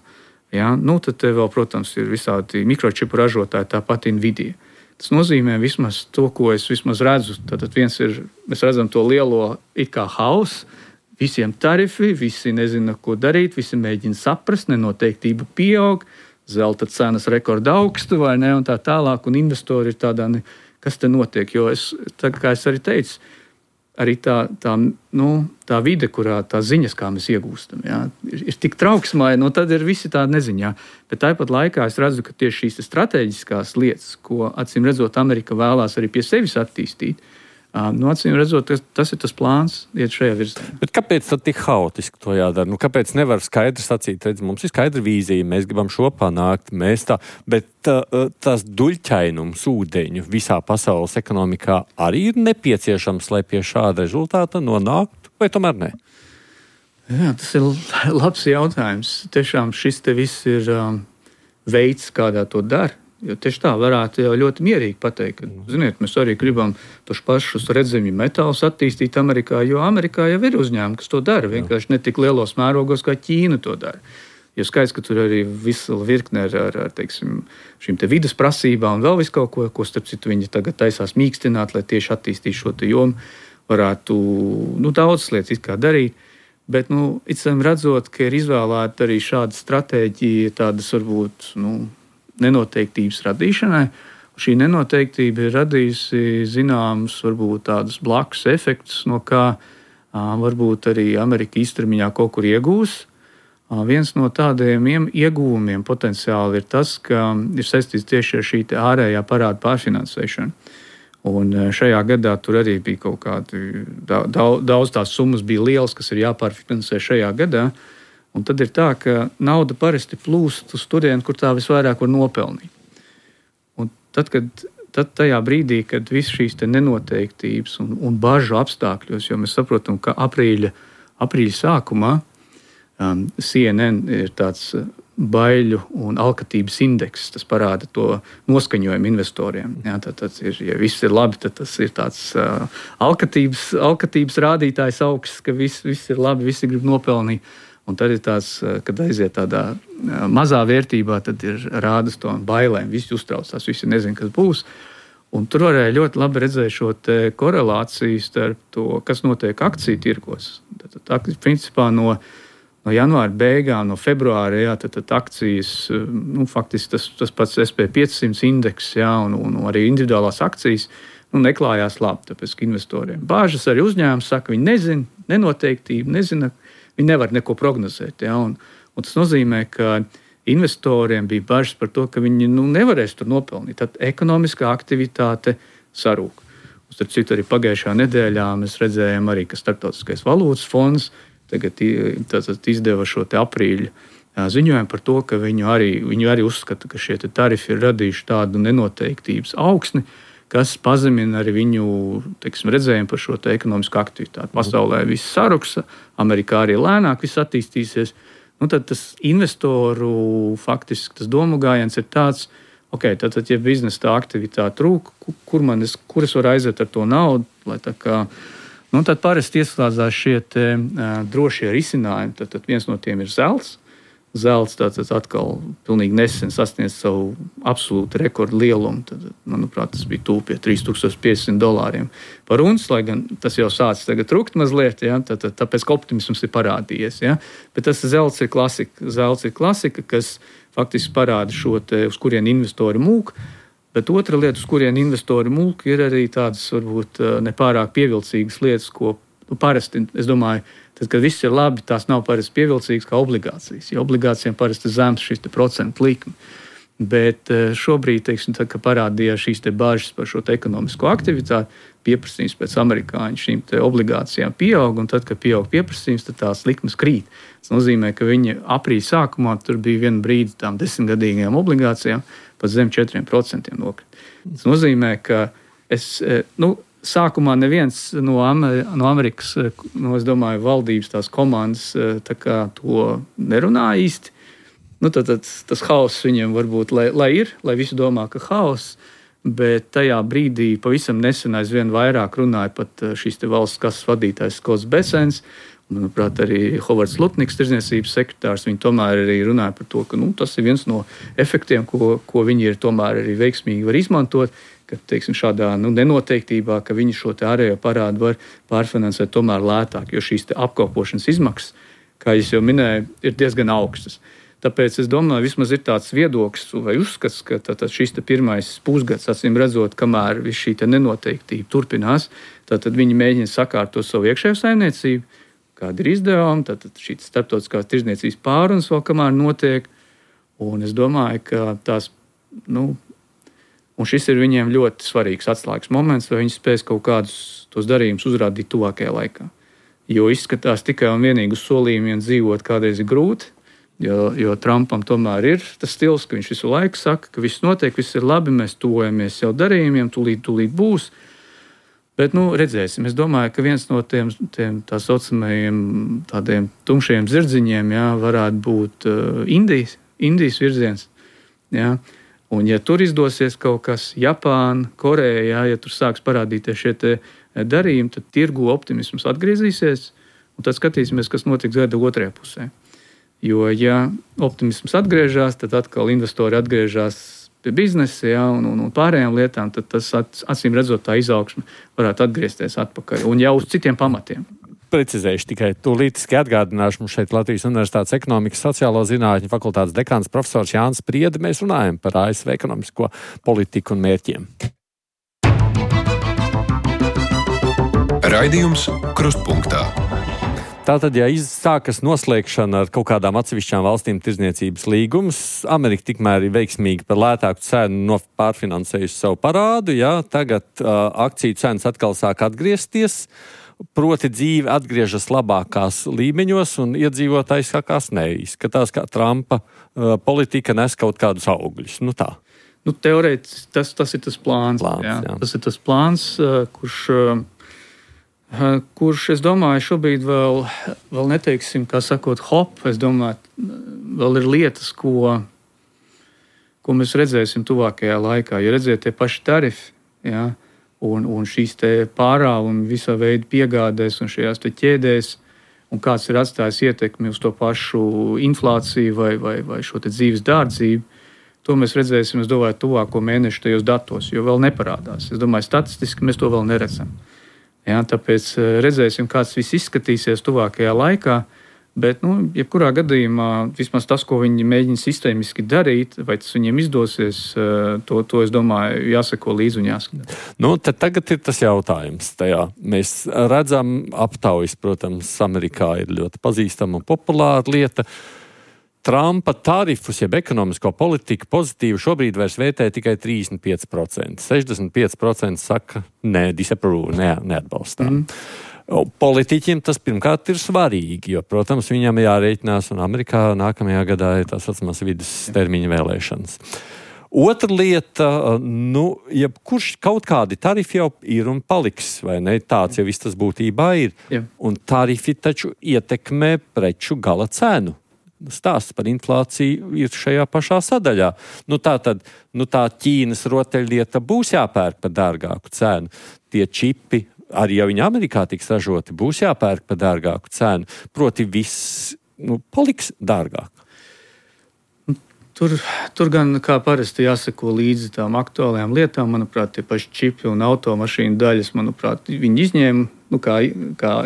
Ja? Tad te vēl, protams, ir visādi mikročipu ražotāji, tāpat Nvidia. Tas nozīmē vismaz to, ko es vismaz redzu. Tātad viens ir, mēs redzam to lielo it kā hausu, visiem tarifi, visi nezina, ko darīt, visi mēģina saprast, nenoteiktība pieaug, zelta cenas rekorda augstu, vai ne, un tā tālāk, un investori ir tādā, kas te notiek, jo kā es arī teicu, arī tā vide, kurā tās ziņas, kā mēs iegūstam, jā, ir tik trauksmaini, tad ir visi tādi neziņā, bet tāpat laikā es redzu, ka tieši šīs strateģiskās lietas, ko acīm redzot Amerika vēlās arī pie sevis attīstīt, Acīm redzot, tas ir tas plāns, iet šajā virzienā. Bet kāpēc tad tik haotiski to jādara? Kāpēc nevar skaidri sacīt, redz, mums ir skaidra vīzija, mēs gribam šo panākt, bet tas duļķainums ūdeņu visā pasaules ekonomikā arī ir nepieciešams, lai pie šāda rezultāta nonāktu, vai tomēr ne? Jā, tas ir labs jautājums. Tiešām šis te viss ir veids, kādā to dara. Jo tieši tā varētu jau ļoti mierīgi pateikt, ka, ziniet, mēs arī gribam tos pašus redzamju metālus attīstīt Amerikā, jo Amerikā jau ir uzņēmumi, kas to dara, vienkārši ne tik lielos mērogos, kā Ķīna to dara. Jo skaidrs, ka tur arī visa virkne ar teiksim, šīm te vides prasībām un vēl visu kaut ko starp citu viņi tagad taisās mīkstināt, lai tieši attīstītu šo te jomu, varētu daudzas lietas it kā darīt. Bet, redzot, ka ir izvēlēta arī šāda stratēģija, tādas varbūt, nenoteiktības radīšanai. Šī nenoteiktība ir radījusi zināmus, varbūt tādus blakus efektus, no kā varbūt arī Amerika īstermiņā kaut kur iegūs. Viens no tādiem ieguvumiem potenciāli ir tas, ka ir saistīts tieši ar šī ārējā parāda pārfinansēšanu. Un šajā gadā tur arī bija kaut kādi daudz tās summas bija lielas, kas ir jāpārfinansē šajā gadā. Un tad ir tā, ka nauda parasti plūst uz turieni, kur tā visvairāk var nopelnīt. Un tad tajā brīdī, kad viss šīs te nenoteiktības un bažu apstākļos, jo mēs saprotam, ka aprīļa sākumā CNN ir tāds baiļu un alkatības indeks, tas parāda to noskaņojumu investoriem. Jā, tad ir, ja viss ir labi, tad tas ir tāds alkatības rādītājs augsts, ka viss ir labi, visi grib nopelnīt. Un tad ir tāds, kad aiziet tādā mazā vērtībā, tad ir rādas to bailēm. Visi uztraucās, visi nezin, kas būs. Un tur varēja ļoti labi redzēt šo korelāciju starp to, kas notiek akciju tirgos. Tad principā no janvāra beigām, no februāra, tad akcijas, faktiski tas pats SP500 indeks, un arī individuālās akcijas, neklājās labi, tāpēc, ka investoriem bāžas arī uzņēmums saka, viņi nezina, nenoteiktība, nezina, viņi nevar neko prognozēt. Un tas nozīmē, ka investoriem bija bažas par to, ka viņi nevarēs tur nopelnīt. Tad ekonomiskā aktivitāte sarūk. Starp citu, arī pagājušā nedēļā mēs redzējām, arī, ka Starptautiskais valūtas fonds tagad izdeva šo aprīļa ziņojumu par to, ka viņu arī uzskata, ka šie tarifi ir radījuši tādu nenoteiktības augsni, kas pazemina arī viņu redzējumu par šo ekonomisko aktivitāti. Pasaulē viss saruks, Amerikā arī lēnāk viss attīstīsies. Tad tas investoru faktiski tas domu gājiens ir tāds, tad, ja biznesa tā aktivitāte trūk, kur es varu aiziet ar to naudu, lai tā kā, tad parasti ieslēdzās šie drošie risinājumi. Tad viens no tiem ir zelts. Zelts tātad atkal pilnīgi nesen sasniedz savu absolūtu rekordu lielumu. Tad, manuprāt, tas bija tuvu pie $3,500 par unci, lai gan tas jau sācis tagad trukt mazliet, tāpēc, ka optimisms ir parādījies. Bet tas zelts ir klasika. Zelts ir klasika, kas faktiski parāda šo uz kurien investori mūk. Bet otra lieta, uz kurien investori mūk, ir arī tādas varbūt nepārāk pievilcīgas lietas, ko parasti, es domāju, tad, kad viss ir labi, tās nav parasti pievilcīgas kā obligācijas. Jo obligācijām parasti zems šis procentu likme. Bet šobrīd, tad, kad parādījās šīs bāžas par šo ekonomisko aktivitāti, pieprasījums pēc amerikāņu šīm obligācijām pieaug, un tad, kad pieaug pieprasījums, tad tās likmes krīt. Tas nozīmē, ka viņi aprīļa sākumā tur bija viena brīdi tām 10-gadīgajām obligācijām pat zem 4% nokrīt. Tas nozīmē, ka sākumā neviens no Amerikas, es domāju, valdības tās komandas to nerunā īsti. Tad tas hauss viņiem varbūt, lai visi domā, ka hauss, bet tajā brīdī pavisam nesen aizvien vairāk runāja pat šīs valsts kases vadītājs Skots Besens, manuprāt, arī Hovards Lutniks, tirdzniecības sekretārs, viņi tomēr arī runāja par to, ka tas ir viens no efektiem, ko viņi ir tomēr arī veiksmīgi var izmantot, ka, šādā nenoteiktībā, ka viņi šo ārējo parādu var pārfinansēt tomēr lētāk, jo šīs apkalpošanas izmaksas, kā es jau minēju, ir diezgan augstas. Tāpēc es domāju, vismaz ir tāds viedoklis vai uzskats, ka šis pirmais pusgads, acīm redzot, kamēr viss šī nenoteiktība turpinās, tad viņi mēģina sakārtot savu iekšējo saimniecību, kāda ir izdevuma, tad šī starptautiskās tirdzniecības pārunas vēl kamēr notiek, un es domāju, ka tās, Un šis ir viņiem ļoti svarīgs atslēgas moments, vai viņi spēs kaut kādus tos darījumus uzrādīt tuvākajā laikā. Jo izskatās tikai un vienīgi uz solījumiem dzīvot kādreiz ir grūti, jo Trumpam tomēr ir tas stils, ka viņš visu laiku saka, ka viss notiek, viss ir labi, mēs tuvojamies jau darījumiem, tūlīt būs. Bet, redzēsim. Es domāju, ka viens no tiem tā saucamajiem tādiem tumšajiem zirdziņiem, varētu būt Indijas virziens. Jā. Un, ja tur izdosies kaut kas, Japāna, Koreja, ja tur sāks parādīties šie te darījumi, tad tirgu optimisms atgriezīsies, un tad skatīsimies, kas notiks gada otrajā pusē. Jo, ja optimisms atgriežas, tad atkal investori atgriežas pie biznesa, un pārējām lietām, tad tas, acīm redzot, tā izaugsme varētu atgriezties atpakaļ, un jau uz citiem pamatiem. Precizējuši tikai tūlītiski atgādināšu mums šeit Latvijas Universitātes ekonomikas sociālo zinātņu fakultātes dekāns profesors Jānis Spriede. Mēs runājam par ASV ekonomisko politiku un mērķiem. Raidījums Krustpunktā. Tātad, ja sākas noslēgšana ar kaut kādām atsevišķām valstīm tirdzniecības līgumus, Amerika tikmēr ir veiksmīgi par lētāku cenu pārfinansējusi savu parādu, tagad akciju cenas atkal sāk atgriezties, proti dzīve atgriežas labākās līmeņos un iedzīvotājs sākās neizskatās, kā Trumpa politika nes kaut kādus augļus. Tā. Teorētiski tas ir tas plāns. Jā. Tas ir tas plāns, kurš, es domāju, šobrīd vēl neteiksim, kā sakot, es domāju, vēl ir lietas, ko mēs redzēsim tuvākajā laikā. Ja redziet tie paši tarifi, un šīs te pārāvumi visā veida piegādēs un šajās te ķēdēs, un kāds ir atstājis ietekmi uz to pašu inflāciju vai šo te dzīves dārdzību, to mēs redzēsim, es domāju, tuvāko mēnešu tajos datos, jo vēl neparādās. Es domāju, statistiski mēs to vēl neredzam. Tāpēc redzēsim, kāds viss izskatīsies tuvākajā laikā, bet, jebkurā gadījumā, vismaz tas, ko viņi mēģina sistēmiski darīt, vai tas viņiem izdosies, to es domāju, jāseko līdzi un jāskatās. Tad tagad ir tas jautājums. Mēs redzam aptaujas, protams, Amerikā ir ļoti pazīstama un populāra lieta. Trumpa tarifus, jeb ekonomisko politiku pozitīvu šobrīd vairs vērtē tikai 35%. 65% saka, neatbalstām. Politiķiem tas pirmkārt ir svarīgi, jo, protams, viņam jārēķinās, un Amerikā nākamajā gadā ir tā saucamās vidustermiņa vēlēšanas. Otra lieta, jebkurš kaut kādi tarifi jau ir un paliks, vai ne? Tāds jau viss tas būtībā ir. Jā. Un tarifi taču ietekmē preču gala cenu. Stāsts par inflāciju ir šajā pašā sadaļā. Tā Ķīnas rotaļlieta būs jāpērk par dārgāku cenu. Tie čipi, arī ja viņi Amerikā tiks ražoti, būs jāpērk par dārgāku cenu. Proti viss paliks dārgāk. Tur gan kā parasti jāseko līdzi tām aktuālajām lietām. Manuprāt, tie paši čipi un automašīnu daļas, manuprāt, viņi izņēma kā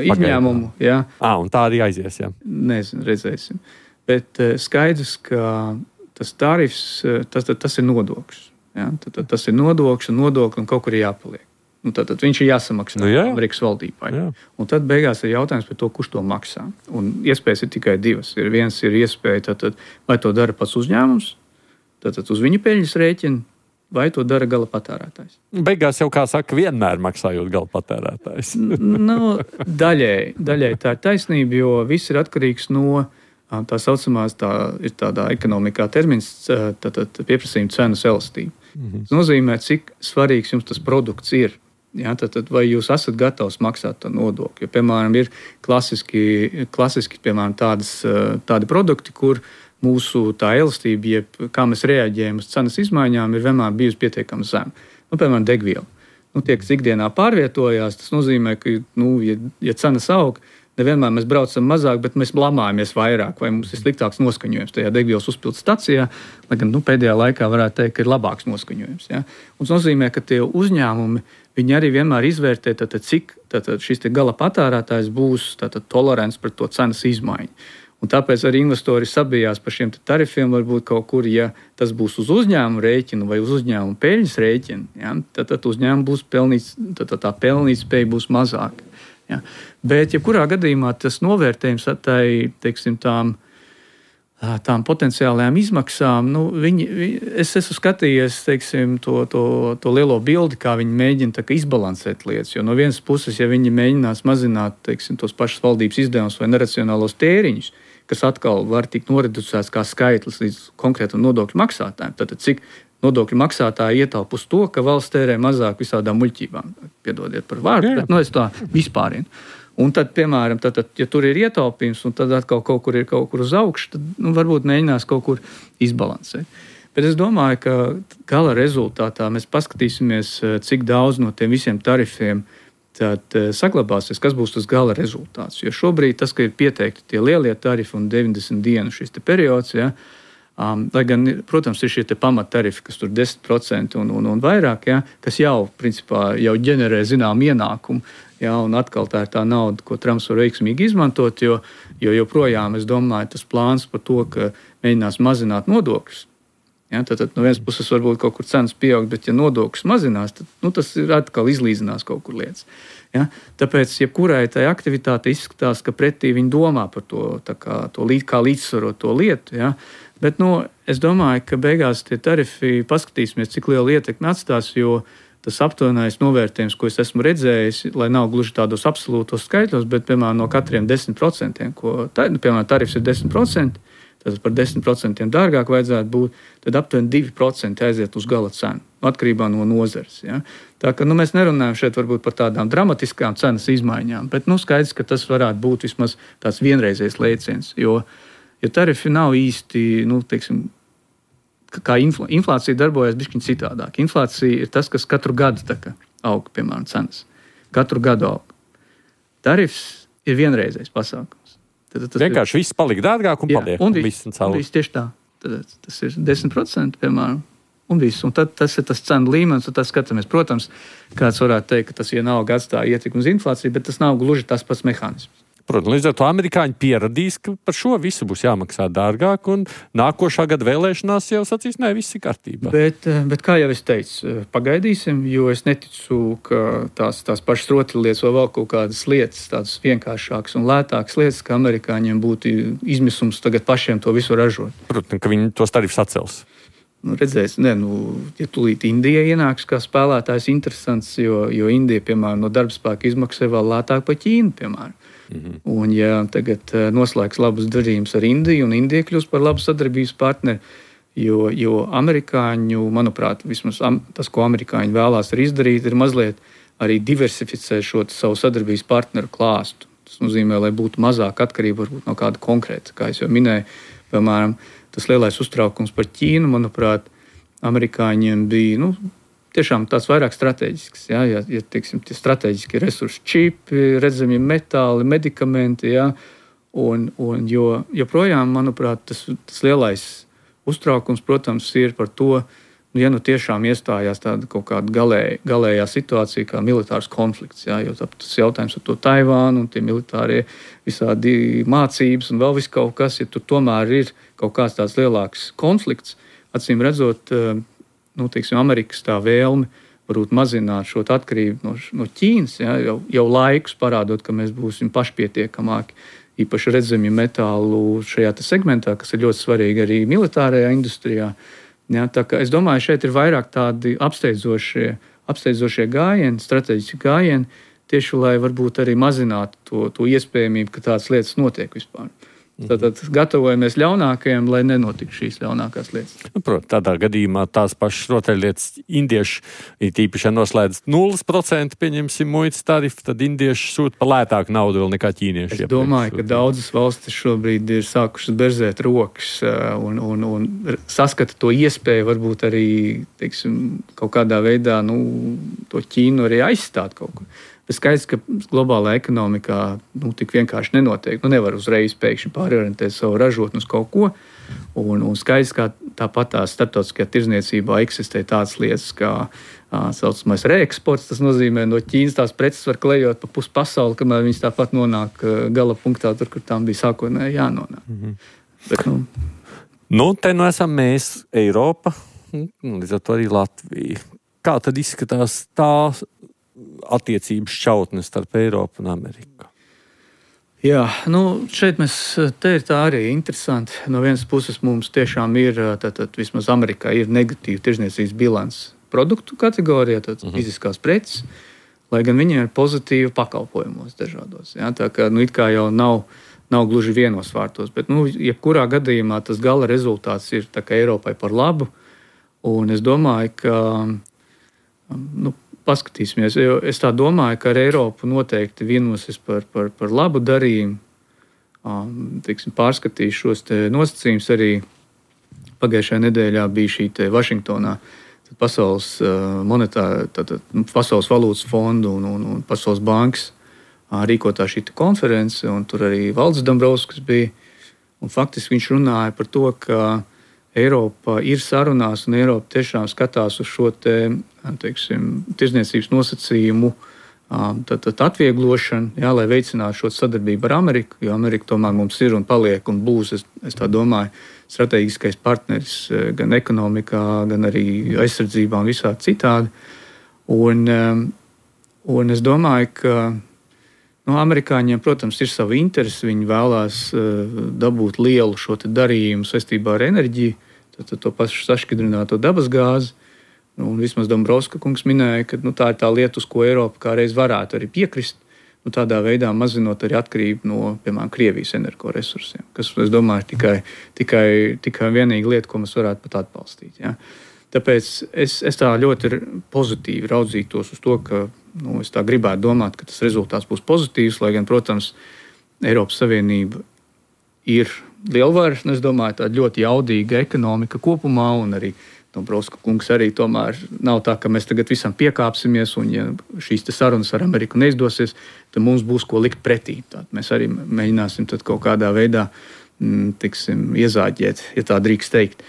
izņēmumu. Jā. Un tā arī aizies, jā. Nezinu, redzēsim. Bet skaidrs, ka tas tarifs, tas ir nodoklis. Tas ir nodoklis un kaut kur ir jāpaliek. Tad viņš ir jāsamaksā Amerikas valdībai. Jā. Un tad beigās ir jautājums par to, kurš to maksā. Un iespējas ir tikai divas. Viens ir iespēja, vai to dara pats uzņēmums, tad uz viņa peļņas rēķina, vai to dara gala patērētājs. Beigās jau, kā saka, vienmēr maksājot gala patērētājs. Daļai tā ir taisnība, jo viss ir atkarīgs no tā saucamās, ir tādā ekonomikā termins, pieprasījuma cenas elastība. Tas nozīmē, cik svarīgs jums tas produkts ir. Vai jūs esat gatavs maksāt to nodokli? Jo, piemēram, ir klasiski piemēram, tādi produkti, kur mūsu tā elastība, kā mēs reaģējam uz cenas izmaiņām, ir vienmēr bijusi pietiekami zema. Piemēram, degviela. Tiek ikdienā pārvietojās, tas nozīmē, ka, ja cenas aug, nevienmēr mēs braucam mazāk, bet mēs blamājamies vairāk, vai mums ir sliktāks noskaņojums tajā degvielas uzpildes stacijā, lai gan pēdējā laikā varētu teikt, ka ir labāks noskaņojums. Ja? Un tas nozīmē, ka tie uzņēmumi, viņi arī vienmēr izvērtē, cik šis gala patērētājs būs tolerants pret to cenas izmaiņu. Un tāpēc arī investori sabijās par šiem tarifiem, varbūt kaut kur, ja tas būs uz uzņēmumu rēķinu vai uz uzņēmumu peļņas rēķinu, tad uzņēmumu būs pelnīts, tā pelnīt spēja būs mazāka. Ja. Bet, jebkurā gadījumā tas novērtējums tām tām potenciālajām izmaksām, es esmu skatījies, teiksim, to lielo bildi, kā viņi mēģina tā kā izbalansēt lietas. Jo no vienas puses, ja viņi mēģinās mazināt, teiksim, tos pašus valdības izdevumus vai neracionālos tēriņus, kas atkal var tikt noreducēts kā skaitlis līdz konkrētam nodokļu maksātājiem, tad cik nodokļu maksātāji ietaupa uz to, ka valsts tērē mazāk visādām muļķībām. Piedodiet par vārdu, bet es tā vispārinu. Un tad, piemēram, ja tur ir ietaupījums, un tad atkal kaut kur uz augšu, tad varbūt mēģinās kaut kur izbalansēt. Bet es domāju, ka gala rezultātā mēs paskatīsimies, cik daudz no tiem visiem tarifiem tad saglabāsies, kas būs tas gala rezultāts. Jo šobrīd tas, ka ir pieteikti tie lielie tarifi un 90 dienu šis te periods, ja, lai gan, protams, ir šie pamattarifi, kas tur 10% un vairāk, ja, kas jau, principā, jau ģenerē zinām ienākumu. Ja, un atkal tā ir tā nauda, ko Trumps var veiksmīgi izmantot, jo joprojām, es domāju, tas plāns par to, ka mēģinās mazināt nodokļus. Ja, tad no vienas puses varbūt kaut kur cenas pieaug, bet ja nodokļus mazinās, tad tas ir atkal izlīdzinās kaut kur lietas. Ja, tāpēc, jebkurai tai aktivitāte izskatās, ka pretī viņi domā par to, kā līdzsvarot to lietu. Ja. Bet es domāju, ka beigās tie tarifi paskatīsimies, cik lielu ietekmi atstās, jo tas aptuvenais novērtējums, ko es esmu redzējis, lai nav gluži tādos absolūtos skaitļos, bet, piemēram, no katriem 10%, piemēram, tarifs ir 10%, tad par 10% dārgāk vajadzētu būt, tad aptuveni 2% aiziet uz gala cenu, atkarībā no nozares. Ja. Tā ka mēs nerunājam šeit varbūt par tādām dramatiskām cenas izmaiņām, bet skaidrs, ka tas varētu būt vismaz tāds vienreizējs lēciens, jo tarifi nav īsti, teiksim, kā inflācija darbojas bišķiņ citādāk. Inflācija ir tas, kas katru gadu aug, piemēram, cenas. Katru gadu aug. Tarifs ir vienreizējs pasākums. Tad vienkārši viss palika dārgāk un paliek. Un viss tieši tā. Tad tas ir 10%, piemēram, un viss. Un tad tas ir tas cenu līmenis, un tas skatāmies. Protams, kāds varētu teikt, ka tas vienalga atstāja ietekmi uz inflāciju, bet tas nav gluži tas pats mehānisms. Protams, līdz ar to amerikāņi pieradīs, ka par šo visu būs jāmaksā dārgāk, un nākošā gada vēlēšanās jau sacīs, nē, viss ir kārtībā. Bet kā jau es teicu, pagaidīsim, jo es neticu, ka tās pašas rotaļlietas vai vēl kaut kādas lietas, tādas vienkāršākas un lētākas lietas, ka amerikāņiem būtu izmisums tagad pašiem to visu ražot. Protams, ka viņi tos tarifus atcels. Redzēs, ja tūlīt Indija ienāks kā spēlētājs interesants, jo Indija, piemēram, no darbspēka izmaksā vēl lētāk par Ķīnu, piemēram. Un ja tagad noslēgs labus darījumus ar Indiju, un Indija kļūs par labu sadarbības partneri, jo amerikāņu, manuprāt, vismaz tas, ko amerikāņi vēlās arī izdarīt, ir mazliet arī diversificēt šo savu sadarbības partneru klāstu. Tas nozīmē, lai būtu mazāk atkarība varbūt no kāda konkrēta. Kā es jau minēju, piemēram, tas lielais uztraukums par Ķīnu, manuprāt, amerikāņiem bija, tiešām tāds vairāk strateģisks. Ja, teiksim, tie strateģiski resursi, čipi, redzamie metāli, medikamenti. Ja, un joprojām, manuprāt, tas lielais uztraukums, protams, ir par to, ja tiešām iestājās tāda kaut kāda galējā situācija kā militārs konflikts. Ja, jo tas jautājums ar to Taivānu un tie militārie visādi mācības un vēl viss kaut kas, ja tur tomēr ir kaut kāds tāds lielāks konflikts, acīm redzot, teiksim, Amerikas tā vēlme varbūt mazināt šo atkarību no Ķīnas, ja, jau laikus parādot, ka mēs būsim pašpietiekamāki, īpaši redzamie metālu šajā segmentā, kas ir ļoti svarīgi arī militārajā industrijā. Ja, tā kā es domāju, šeit ir vairāk tādi apsteidzošie gājieni, strateģiski gājieni, tieši lai varbūt arī mazinātu to iespējamību, ka tādas lietas notiek vispār. Tātad gatavojamies ļaunākajam, lai nenotiktu šīs ļaunākās lietas. Protams, tādā gadījumā tās pašas rotaļlietas indieši, īpaši noslēdz 0%, pieņemsim muitas tarifu, tad indieši sūta par lētāku naudu vēl nekā ķīnieši. Es domāju, ka daudzas valstis šobrīd ir sākušas berzēt rokas un saskata to iespēju varbūt arī, teiksim, kaut kādā veidā to Ķīnu arī aizstāt kaut ko. Bet skaidrs, ka globālā ekonomikā tik vienkārši nenotiek. Nevar uzreiz pēkšņi pārorientēt savu ražotni uz kaut ko. Un skaidrs, ka tāpat tā starptautiskajā tirdzniecībā eksistē tādas lietas, kā saucamais reeksports. Tas nozīmē, no Ķīnas tās preces var klejot pa pusi pasauli, kamēr viņas tāpat nonāk gala punktā, tur, kur tām bija sākotnēji jānonāk. Bet, te esam mēs, Eiropa, līdz ar to arī Latvija. Kā tad izskatās tā attiecības šķautnes starp Eiropu un Ameriku? Jā, šeit te ir tā arī interesanti. No vienas puses mums tiešām ir, tātad vismaz Amerikā ir negatīva tirzniecības bilants produktu kategorijā, tātad fiziskās preces, lai gan viņiem ir pozitīva pakalpojumos dažādos. Ja? Tā kā it kā jau nav gluži vienos vārtos, bet jebkurā gadījumā tas gala rezultāts ir tā kā Eiropai par labu. Un es domāju, ka paskatīsimies, jo es tā domāju, ka ar Eiropu noteikti vienosies par labu darījumu. Pārskatīs šos nosacījumus arī pagājušajā nedēļā bija šī Vašingtonā Pasaules valūtas fondu un Pasaules bankas rīkotā šī konference, un tur arī Valdis Dombrovskis bija. Un faktiski viņš runāja par to, ka Eiropa ir sarunās, un Eiropa tiešām skatās uz šo tirdzniecības nosacījumu atvieglošanu, jā, lai veicinātu šo sadarbību ar Ameriku, jo Amerika tomēr mums ir un paliek un būs, es tā domāju, strateģiskais partneris gan ekonomikā, gan arī aizsardzībā un visā citādi. Un es domāju, ka amerikāņiem, protams, ir sava interese. Viņi vēlās dabūt lielu šo darījumu saistībā ar enerģiju, to pašu sašķidrināto dabasgāzi. Un vismaz Dombrovska kungs minēja, ka tā ir tā lieta, uz ko Eiropa kādreiz varētu arī piekrist. Tādā veidā mazinot arī atkarību no, piemēram, Krievijas energoresursiem, kas, es domāju, tikai vienīga lieta, ko mēs varētu pat atbalstīt. Ja? Tāpēc es tā ļoti pozitīvi raudzītos uz to, ka es tā gribētu domāt, ka tas rezultāts būs pozitīvs, lai gan, protams, Eiropas Savienība ir lielvara, es domāju, tāda ļoti jaudīga ekonomika kopumā, un arī Dombrovska kungs arī tomēr nav tā, ka mēs tagad visam piekāpsimies, un ja šīs sarunas ar Ameriku neizdosies, tad mums būs ko likt pretī. Tad mēs arī mēģināsim tad kaut kādā veidā iezāģēt, ja tā drīkst teikt.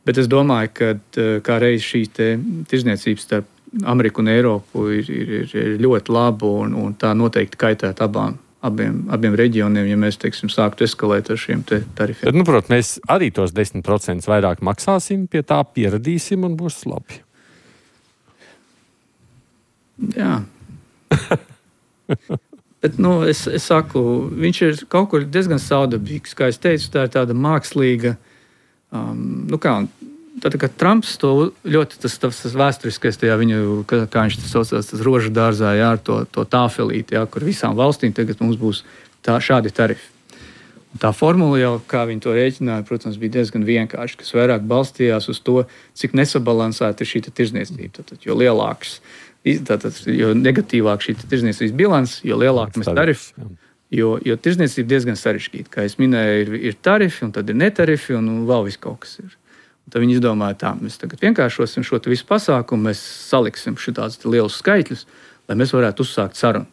Bet es domāju, ka kā reiz šī tirdzniecības starp Ameriku un Eiropu ir ļoti laba, un tā noteikti kaitētu abiem reģioniem, ja mēs sāktu eskalēt ar šiem tarifiem. Tad, protams, mēs arī tos 10% vairāk maksāsim, pie tā pieradīsim un būs labi. Jā. Bet, es saku, viņš ir kaut kur diezgan saudabīgs. Kā es teicu, tā ir tāda mākslīga, Tad, kad Trumps to ļoti, tas vēsturiskais, tajā viņu, kā viņš tas saucās, tas rožu dārzā, jā, ar to tāfelīti, jā, kur visām valstīm tagad mums būs šādi tarifi. Un tā formula jau, kā viņi to rēķināja, protams, bija diezgan vienkārši, kas vairāk balstījās uz to, cik nesabalansēta ir šī tirdzniecība. Jo lielāks, jo negatīvāk šī tirdzniecības bilants, jo lielāk mēs tarifi. Jo tirdzniecība diezgan sarežģīta. Kā es minēju, ir tarifi, un tad ir netarifi, un vēl viss kaut kas ir. Tad viņi izdomāja, tā, mēs tagad vienkāršosim šo visu pasākumu, mēs saliksim šitādus lielus skaitļus, lai mēs varētu uzsākt sarunu.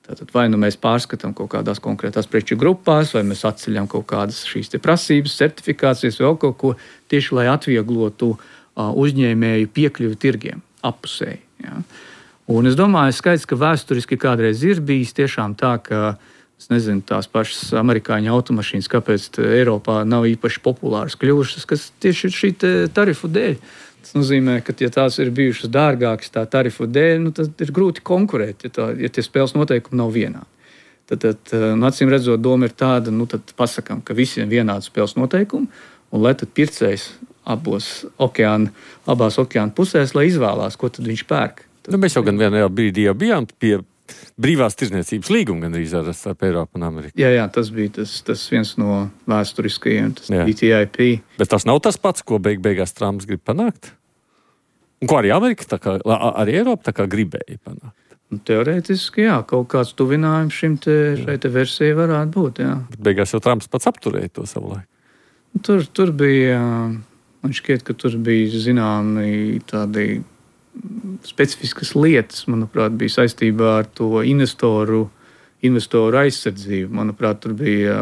Tātad vai mēs pārskatām kaut kādās konkrētās preču grupās, vai mēs atceļam kaut kādas šīs prasības, certifikācijas, vēl kaut ko tieši, lai atvieglotu uzņēmēju piekļuvi tirgiem appusēji. Ja? Un es domāju, skaidrs, ka vēsturiski kādreiz ir bijis tiešām tā, ka es nezinu, tās pašas amerikāņu automašīnas, kāpēc Eiropā nav īpaši populāras kļuvušas, kas tieši ir šī tarifu dēļ. Tas nozīmē, ka, ja tās ir bijušas dārgākas tā tarifu dēļ, tad ir grūti konkurēt, ja tie spēles noteikumi nav vienādi. Tad acīm redzot, doma ir tāda, tad pasakām, ka visiem vienādi spēles noteikumi, un lai tad pircējs abās okeāna pusēs, lai izvēlās, ko tad viņš pērk. Mēs jau gan vienā brīdī jau bijām pie brīvās tirdzniecības līguma gandrīz starp Eiropu un Ameriku. Jā, tas bija tas viens no vēsturiskajiem, tas bija TTIP. Bet tas nav tas pats, ko beigās Trumps grib panākt? Un ko arī Amerika, arī Eiropa gribēja panākt? Teorētiski, jā, kaut kāds tuvinājums šai versijai varētu būt, jā. Bet beigās jau Trumps pats apturēja to savu laiku. Tur bija, man šķiet, ka tur bija zināmi tādi specifiskas lietas, manuprāt, bija saistībā ar to investoru aizsardzību. Manuprāt, tur bija,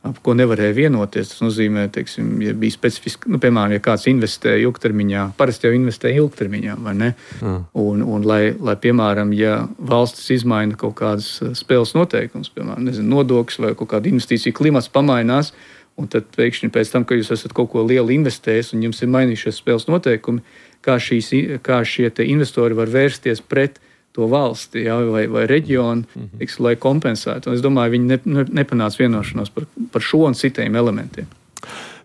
ap ko nevarēja vienoties. Tas nozīmē, ja bija specifiski, piemēram, ja kāds investē ilgtermiņā, parasti jau investē ilgtermiņā, vai ne? Un lai, piemēram, ja valstis izmaina kaut kādas spēles noteikumus, piemēram, nodokļus vai kaut kāda investīcija klimats pamainās, un tad pēkšņi pēc tam, ka jūs esat kaut ko lielu investējis un jums ir mainījušies spēles noteikumi, kā šie investori var vērsties pret to valsti, ja, vai reģionu, lai kompensētu. Un es domāju, viņi nepanāca vienošanos par šo un citiem elementiem.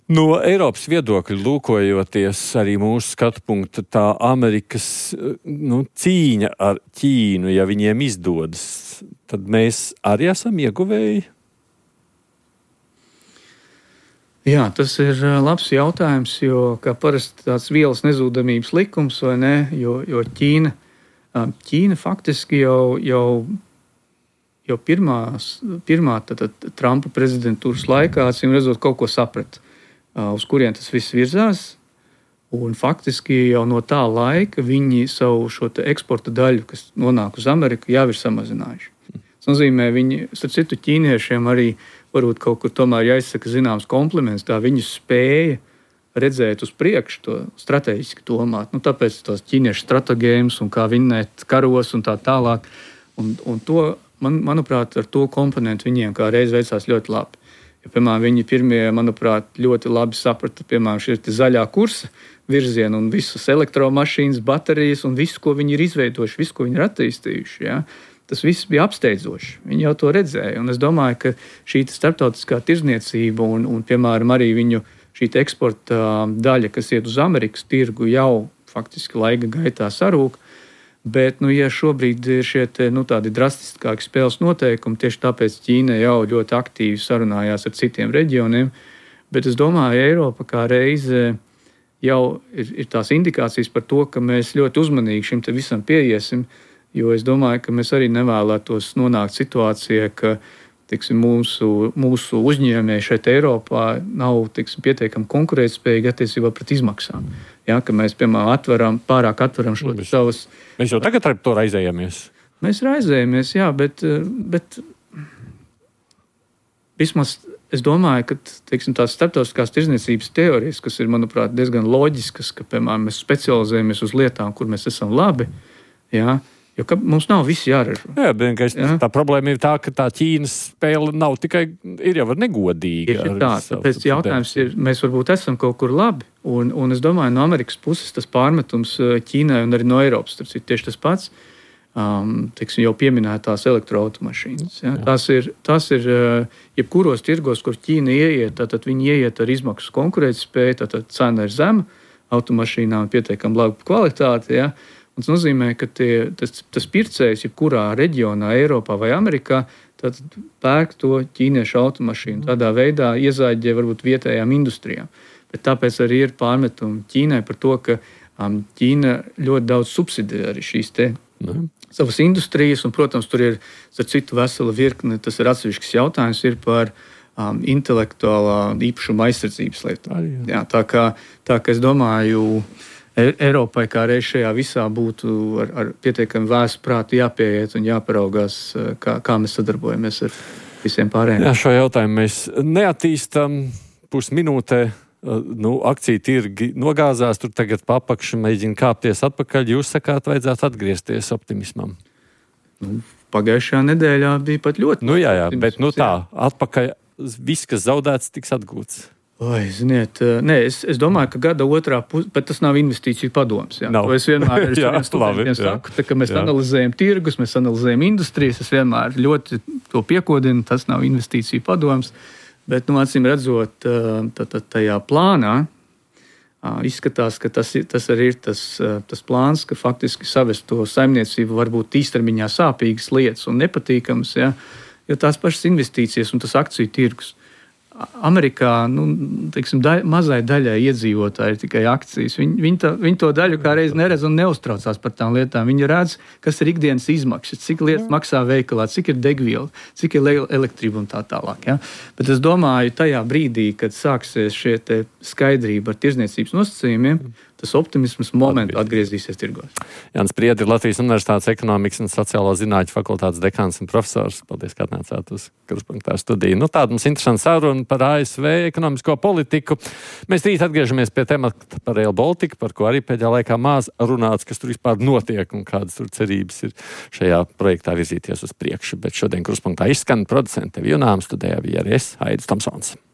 No Eiropas viedokļa lūkojoties arī mūsu skatu punktu, tā Amerikas cīņa ar Ķīnu, ja viņiem izdodas, tad mēs arī esam ieguvēji? Jā, tas ir labs jautājums, jo kā parasti tāds vielas nezūdamības likums, vai ne, jo Ķīna faktiski jau pirmā Trumpa prezidentūras laikā, acīm redzot, kaut ko saprata, uz kurien tas viss virzās, un faktiski jau no tā laika viņi savu šo eksporta daļu, kas nonāk uz Ameriku, jau ir samazinājuši. Tas nozīmē, viņi, starp citu, ķīniešiem arī varbūt kaut kur tomēr jāizsaka zināms kompliments, tā viņu spēja redzēt uz priekšu, to strateģiski domāt. Tāpēc tos ķīniešu stratēģijas un kā vinnēt karos un tā tālāk. Un to, manuprāt, ar to komponentu viņiem kā reiz veicās ļoti labi. Ja, piemēram, viņi pirmie, manuprāt, ļoti labi saprata, piemēram, šī zaļā kursa virzienu un visas elektromašīnas, baterijas un visu, ko viņi ir izveidojuši, visu, ko viņi ir attīstījuši. Ja? Tas viss bija apsteidzoši. Viņi jau to redzēja. Un es domāju, ka šī starptautiskā tirzniecība un piemēram, arī viņu šī eksporta daļa, kas iet uz Amerikas tirgu, jau faktiski laika gaitā sarūk. Bet, ja šobrīd ir šie tādi drastiskāki spēles noteikumi, tieši tāpēc Ķīna jau ļoti aktīvi sarunājās ar citiem reģioniem. Bet es domāju, Eiropa kā reize jau ir tās indikācijas par to, ka mēs ļoti uzmanīgi šim te visam pieiesim, jo es domāju, ka mēs arī nevēlētos nonākt situācijā, ka mūsu uzņēmēji šeit Eiropā nav pietiekami konkurētspējīgi attiecībā pret izmaksām. Ja, ka mēs, piemēram, pārāk atveram šo savas... Mēs jau tagad ar to raizējamies. Mēs raizējamies, jā, bet vismaz es domāju, ka tās starptautiskās tirdzniecības teorijas, kas ir, manuprāt, diezgan loģiskas, ka, piemēram, mēs specializējamies uz lietām, kur mēs esam labi, jā, jo mums nav viss jāražo. Jā, tā problēma ir tā, ka tā Ķīnas spēle nav tikai, ir jau negodīga. Ir tā, tāpēc jautājums ir, mēs varbūt esam kaut kur labi, un es domāju, no Amerikas puses tas pārmetums Ķīnai un arī no Eiropas, tas ir tieši tas pats, jau pieminētās elektroautomašīnas. Ja? Tas ir jebkuros tirgos, kur Ķīna ieiet, tad viņi ieiet ar izmaksu konkurētspēju, tad cena ir zema, automašīnām pietiekami laba kvalitāte, ja? Un tas nozīmē, ka tas pircējs, jebkurā reģionā, Eiropā vai Amerikā, tad pērk to ķīniešu automašīnu. Tādā veidā iezāģē varbūt vietējām industrijām. Bet tāpēc arī ir pārmetumi Ķīnai par to, ka Ķīna ļoti daudz subsidē arī šīs savas industrijas. Un, protams, tur ir citu vesela virkne, tas ir atsevišķs jautājums, ir par intelektuālā īpašuma aizsardzības lietām. Jā, tā kā es domāju, Eiropai kā reiz šajā visā būtu ar pietiekami vēsu prātu jāpieiet un jāparaugās, kā mēs sadarbojamies ar visiem pārējiem. Jā, šo jautājumu mēs neattīstam pusminūtē. Akciju tirgi nogāzās, tur tagad papakši mēģina kāpties atpakaļ. Jūs sakāt, vajadzētu atgriezties optimismam? Pagājušajā nedēļā bija pat ļoti. Jā, bet tā, atpakaļ viss, kas zaudēts, tiks atgūts. Ziniet, es domāju, ka gada otrā pusē, bet tas nav investīciju padoms. To es vienmēr saku, ka mēs analizējam tirgus, mēs analizējam industrijas, es vienmēr ļoti to piekodinu, tas nav investīciju padoms, bet, acīm redzot, tajā plānā izskatās, ka tas arī ir tas plāns, ka faktiski savest to saimniecību varbūt īstermiņā sāpīgas lietas un nepatīkamas, ja, jo tās pašas investīcijas un tas akciju tirgus. Amerikā mazai daļai iedzīvotāji ir tikai akcijas. Viņi to daļu kā reiz neredz un neuztraucās par tām lietām. Viņi redz, kas ir ikdienas izmaksas, cik lietas maksā veikalā, cik ir degviela, cik ir elektrība un tā tālāk. Ja? Bet es domāju, tajā brīdī, kad sāksies šie skaidrība ar tirdzniecības nosacījumiem, tas optimisms momentu atgriezīsies tirgos. Jānis Priedi ir Latvijas Universitātes ekonomikas un sociālo zinātņu fakultātes dekāns un profesors. Paldies, ka atnācāt uz Kruspunktā studiju. Tāda mums interesanta saruna par ASV ekonomisko politiku. Mēs rīt atgriežamies pie temata par Rail Baltica, par ko arī pēdējā laikā maz runāts, kas tur vispār notiek un kādas tur cerības ir šajā projektā virzīties uz priekšu. Bet šodien Kruspunktā izskan producente Vijunām, studējā bija arī es, Aidis Tomsons.